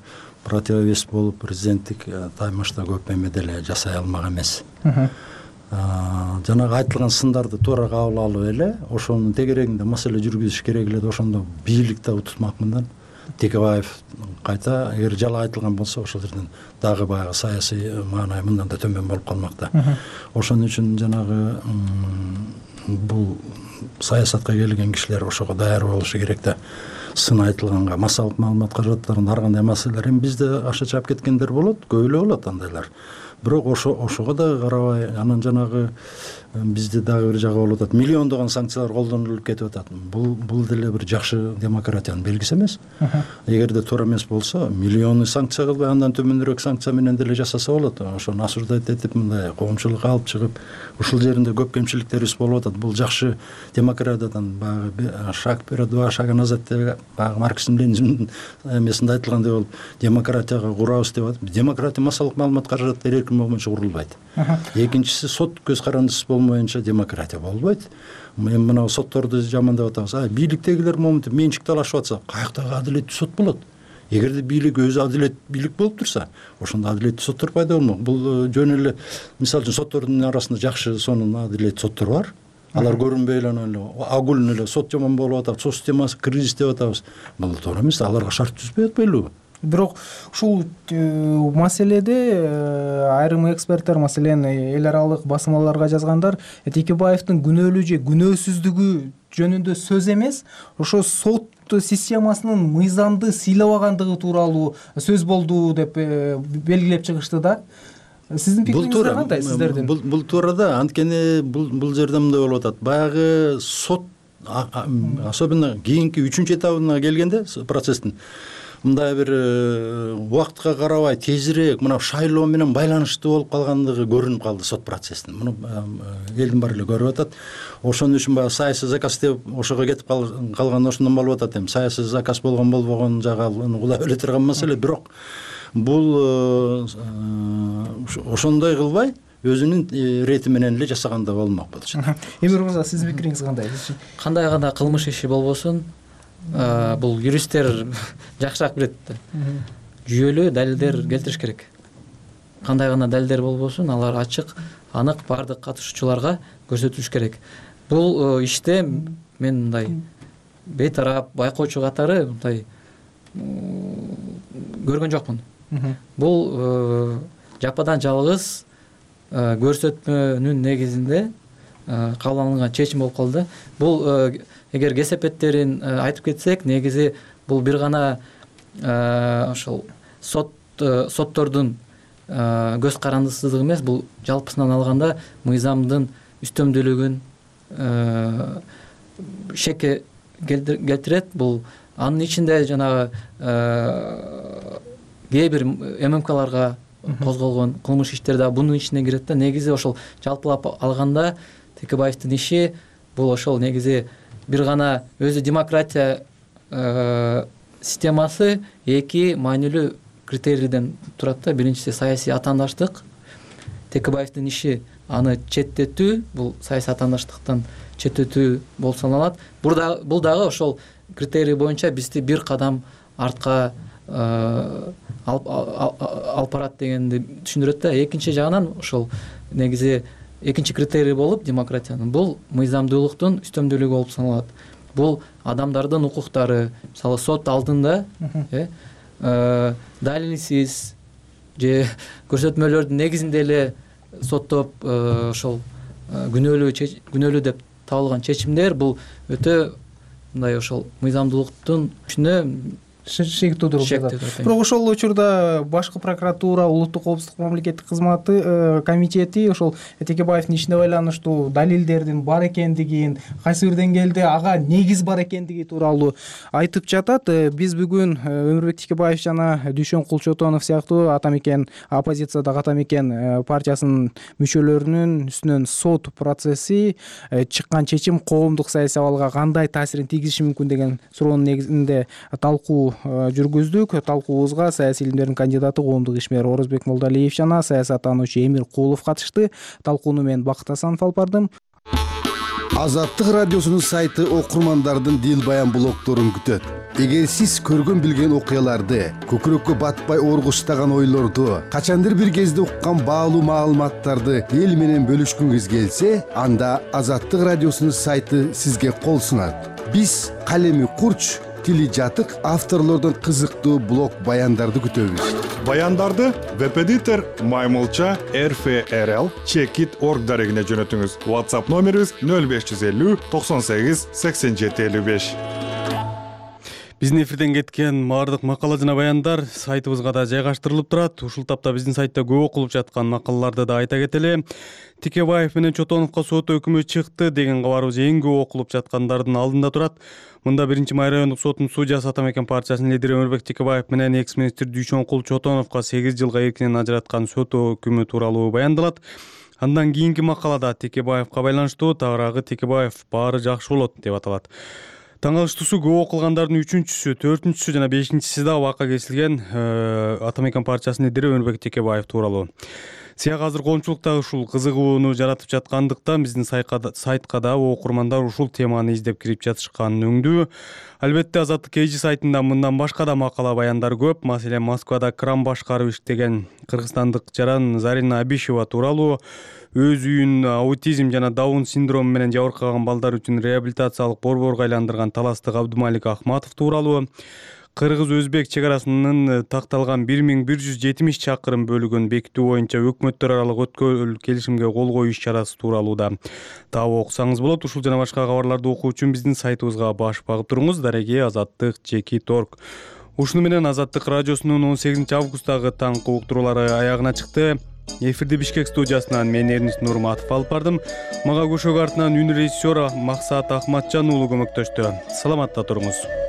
противовес болуп президенттик таймашта көп эме деле жасай алмак эмес. Жанагы айтылган сындарды туура кабыл алып эле ошонун тегерегинде маселе жүргүзүш керек эле. Ошондо бийлик да утутмак мындан. Текебаев кайта эгер жалаа айтылган болсо ошол жерден дагы баягы саясий маанай мындан да төмөн болуп калмак да. Ошон үчүн жанагы бул саясатка келген кишилер ошого даяр болушу керек да. Сын айтылганга, массалык маалымат каражаттарында ар кандай маселелер эми бизде аша чаап кеткендер болот, көп эле болот андайлар. бирок ошо ошого дагы карабай анан жанагы бизде дагы бир жагы болуп атат, миллиондогон санкциялар колдонулуп кетип атат. Бул бул деле бир жакшы демократиянын белгиси эмес. Эгерде туура эмес болсо миллиону санкция кылбай андан төмөнүрөөк санкция менен деле жасаса болот. Ошону осуждать этип мындай коомчулукка алып чыгып ушул жеринде көп кемчиликтерибиз болуп атат. Бул жакшы демократиядан баягы шаг вперед, два шага назад деп баягы Марксизм Ленинизмдин эмесинде айтылгандай болуп, демократияга курабыз деп атып, демократия массалык маалымат каражаттары эркин болмоюнча курулбайт. Экинчиси, сот көз карандысыз болмоюнча демократия болбойт. Эми мына сотторду жамандап атабыз. А бийликтегилер моментте менчик талашып атса, каяктагы адилеттүү сот болот? Эгерде бийлик өзү адилет бийлик болуп турса, ошондо адилеттүү соттор пайда болмок. Бул жөн эле мисалы үчүн соттордун арасында жакшы, сонун адилеттүү соттор бар. Алар көрүнбөй эле эле агулын эле сот жаман болуп атат, сот системасы кризис деп атабыз. Бул туура эмес, аларга шарт түзбөй атпайлыбы? Бирок ушул маселеде айрым эксперттер, маселен эл аралык басмаларга жазгандар, Текебаевдин күнөөлүү же күнөөсүздүгү жөнүндө сөз эмес, ошо сот системасынын мыйзамды сыйлабагандыгы тууралуу сөз болду деп белгилеп чыгышты да. Сиздин пикириңиз кандай сиздердин? Бул бул туура да, анткени бул бул жерде мындай болуп атат. Баягы сот особенно кийинки үчүнчү этабына келгенде процесстин мындай бир убакытка карабай тезирээк мына шайлоо менен байланыштуу болуп калгандыгы көрүнүп калды сот процессинин. Муну элдин баары эле көрүп атат. Ошон үчүн баягы саясий заказ деп ошого кетип калган ошондон болуп атат. Эми саясий заказ болгон болбогон жагы кулай биле турган маселе, бирок бул ошондой кылбай өзүнүн рети менен эле жасаганда болмок болчу. Эмир мырза, сиздин пикириңиз кандай? Кандай гана кылмыш иши болбосун, бул юристтер жакшыраак билет да. Жүйөлүү далилдер келтириш керек. Кандай гана далилдер болбосун, алар ачык, анык бардык катышуучуларга көрсөтүлүш керек. Бул иште мен мындай бейтарап байкоочу катары мындай көргөн жокмун. Бул жападан жалгыз көрсөтмөнүн негизинде кабыл алынган чечим болуп калды. Бул эгер кесепеттерин айтып кетсек, негизи бул бир гана ошол сот соттордун көз карандысыздыгы эмес, бул жалпысынан алганда мыйзамдын үстөмдүүлүгүн шекке келтирет. Бул анын ичинде жанагы кээ бир ММКларга козголгон кылмыш иштер да бунун ичине кирет да. Негизи ошол жалпылап алганда Текебаевдин иши бул ошол негизи бир гана өзү демократия системасы эки маанилүү критерийден турат да. Биринчиси саясий атаандаштык. Текебаевдин иши аны четтетүү, бул саясий атаандаштыктан четтетүү болуп саналат. Бул дагы ошол критерий боюнча бизди бир кадам артка алып барат дегенди түшүндүрөт да. Экинчи жагынан ошол негизи экинчи критерий болуп демократиянын бул мыйзамдуулуктун үстөмдүүлүгү болуп саналат. Бул адамдардын укуктары, мисалы сот алдында далилсиз же көрсөтмөлөрдүн негизинде эле соттоп ошол күнөөлүү күнөөлүү деп табылган чечимдер бул өтө мындай ошол мыйзамдуулуктун күчүнө шек туудуруп жатат. Бирок ошол учурда башкы прокуратура, улуттук коопсуздук мамлекеттик кызматы комитети ошол Текебаевдин ишине байланыштуу далилдердин бар экендигин, кайсы бир деңгээлде ага негиз бар экендиги тууралуу айтып жатат. Биз бүгүн Өмүрбек Текебаев жана Дүйшөн Кулчотонов сыяктуу атамекен оппозициядагы атамекен партиясынын мүчөлөрүнүн үстүнөн сот процесси, чыккан чечим коомдук саясий абалга кандай таасирин тийгизиши мүмкүн деген суроонун негизинде талкуу жүргүздүк. Талкуубузга саясий илимдердин кандидаты, коомдук ишмер Орозбек Молдалиев жана саясаттануучу Эмир Кулов катышты. Талкууну мен Бакыт Асанов алып бардым. Азаттык радиосунун сайты окурмандардын дил баян блогдорун күтөт. Эгер сиз көргөн билген окуяларды, көкүрөккө батпай оргуштаган ойлорду, качандыр бир кезде уккан баалуу маалыматтарды эл менен бөлүшкүңүз келсе, анда Азаттык радиосунун сайты сизге кол сунат. Биз калеми курч, тили жатык авторлордон кызыктуу блог баяндарды күтөбүз. Баяндарды веб-эдитор Маймылча эр эф эр эл чекит точка орг дарегине жөнөтүңүз. WhatsApp номерибиз нөл беш жүз элүү токсон сегиз сексен жети элүү беш. Биздин эфирден кеткен баардык макала жана баяндар сайтыбызга да жайгаштырылып турат. Ушул тапта биздин сайтта көп окулуп жаткан макалаларды да айта кетели. Текебаев менен Чотоновго сот өкүмү чыкты деген кабарыбыз эң көп окулуп жаткандардын алдында турат. Мында биринчи май райондук сотунун судьясы Атамекен партиясынын лидери Өмүрбек Текебаев менен экс-министр Дүйшөнкул Чотоновго сегиз жылга эркинен ажыраткан сот өкүмү тууралуу баяндалат. Андан кийинки макалада Текебаевга байланыштуу тагыраагы Текебаев баары жакшы болот деп аталат. Таң калыштуусу көп окулгандардын үчүнчүсү, төртүнчүсү жана бешинчиси да абакка кесилген Атамекен партиясынын лидери Өмүрбек Текебаев тууралуу. Сия азыр коомчулукта ушул кызыгууну жаратып жаткандыктан биздин сайтка да окурмандар ушул теманы издеп кирип жатышкан өңдүү. Албетте Азаттык кей жи сайтында мындан башка да макала баяндар көп. Маселен, Москвада кран башкарып иштеген кыргызстандык жаран Зарина Абишева тууралуу, өз үйүн аутизм жана Даун синдрому менен жабыркаган балдар үчүн реабилитациялык борборго айландырган таластык Абдумалик Ахматов тууралуу, кыргыз-өзбек чек арасынын такталган бир миң бир жүз жетимиш чакырым бөлүгүн бекитүү боюнча өкмөттөр аралык өткөл келишимге кол коюу иш-чарасы тууралуу да таап окусаңыз болот. Ушул жана башка кабарларды окуу үчүн биздин сайтыбызга баш багып туруңуз. Дареги Азаттык чекит орг. Ушуну менен Азаттык радиосунун он сегизинчи августтагы таңкы уктуруулары аягына чыкты. Эфирди Бишкек студиясынан мен Эрнис Нурматов алып бардым. Мага көшөгө артынан үн режиссер Максат Ахматжан уулу көмөктөштү. Саламатта туруңуз.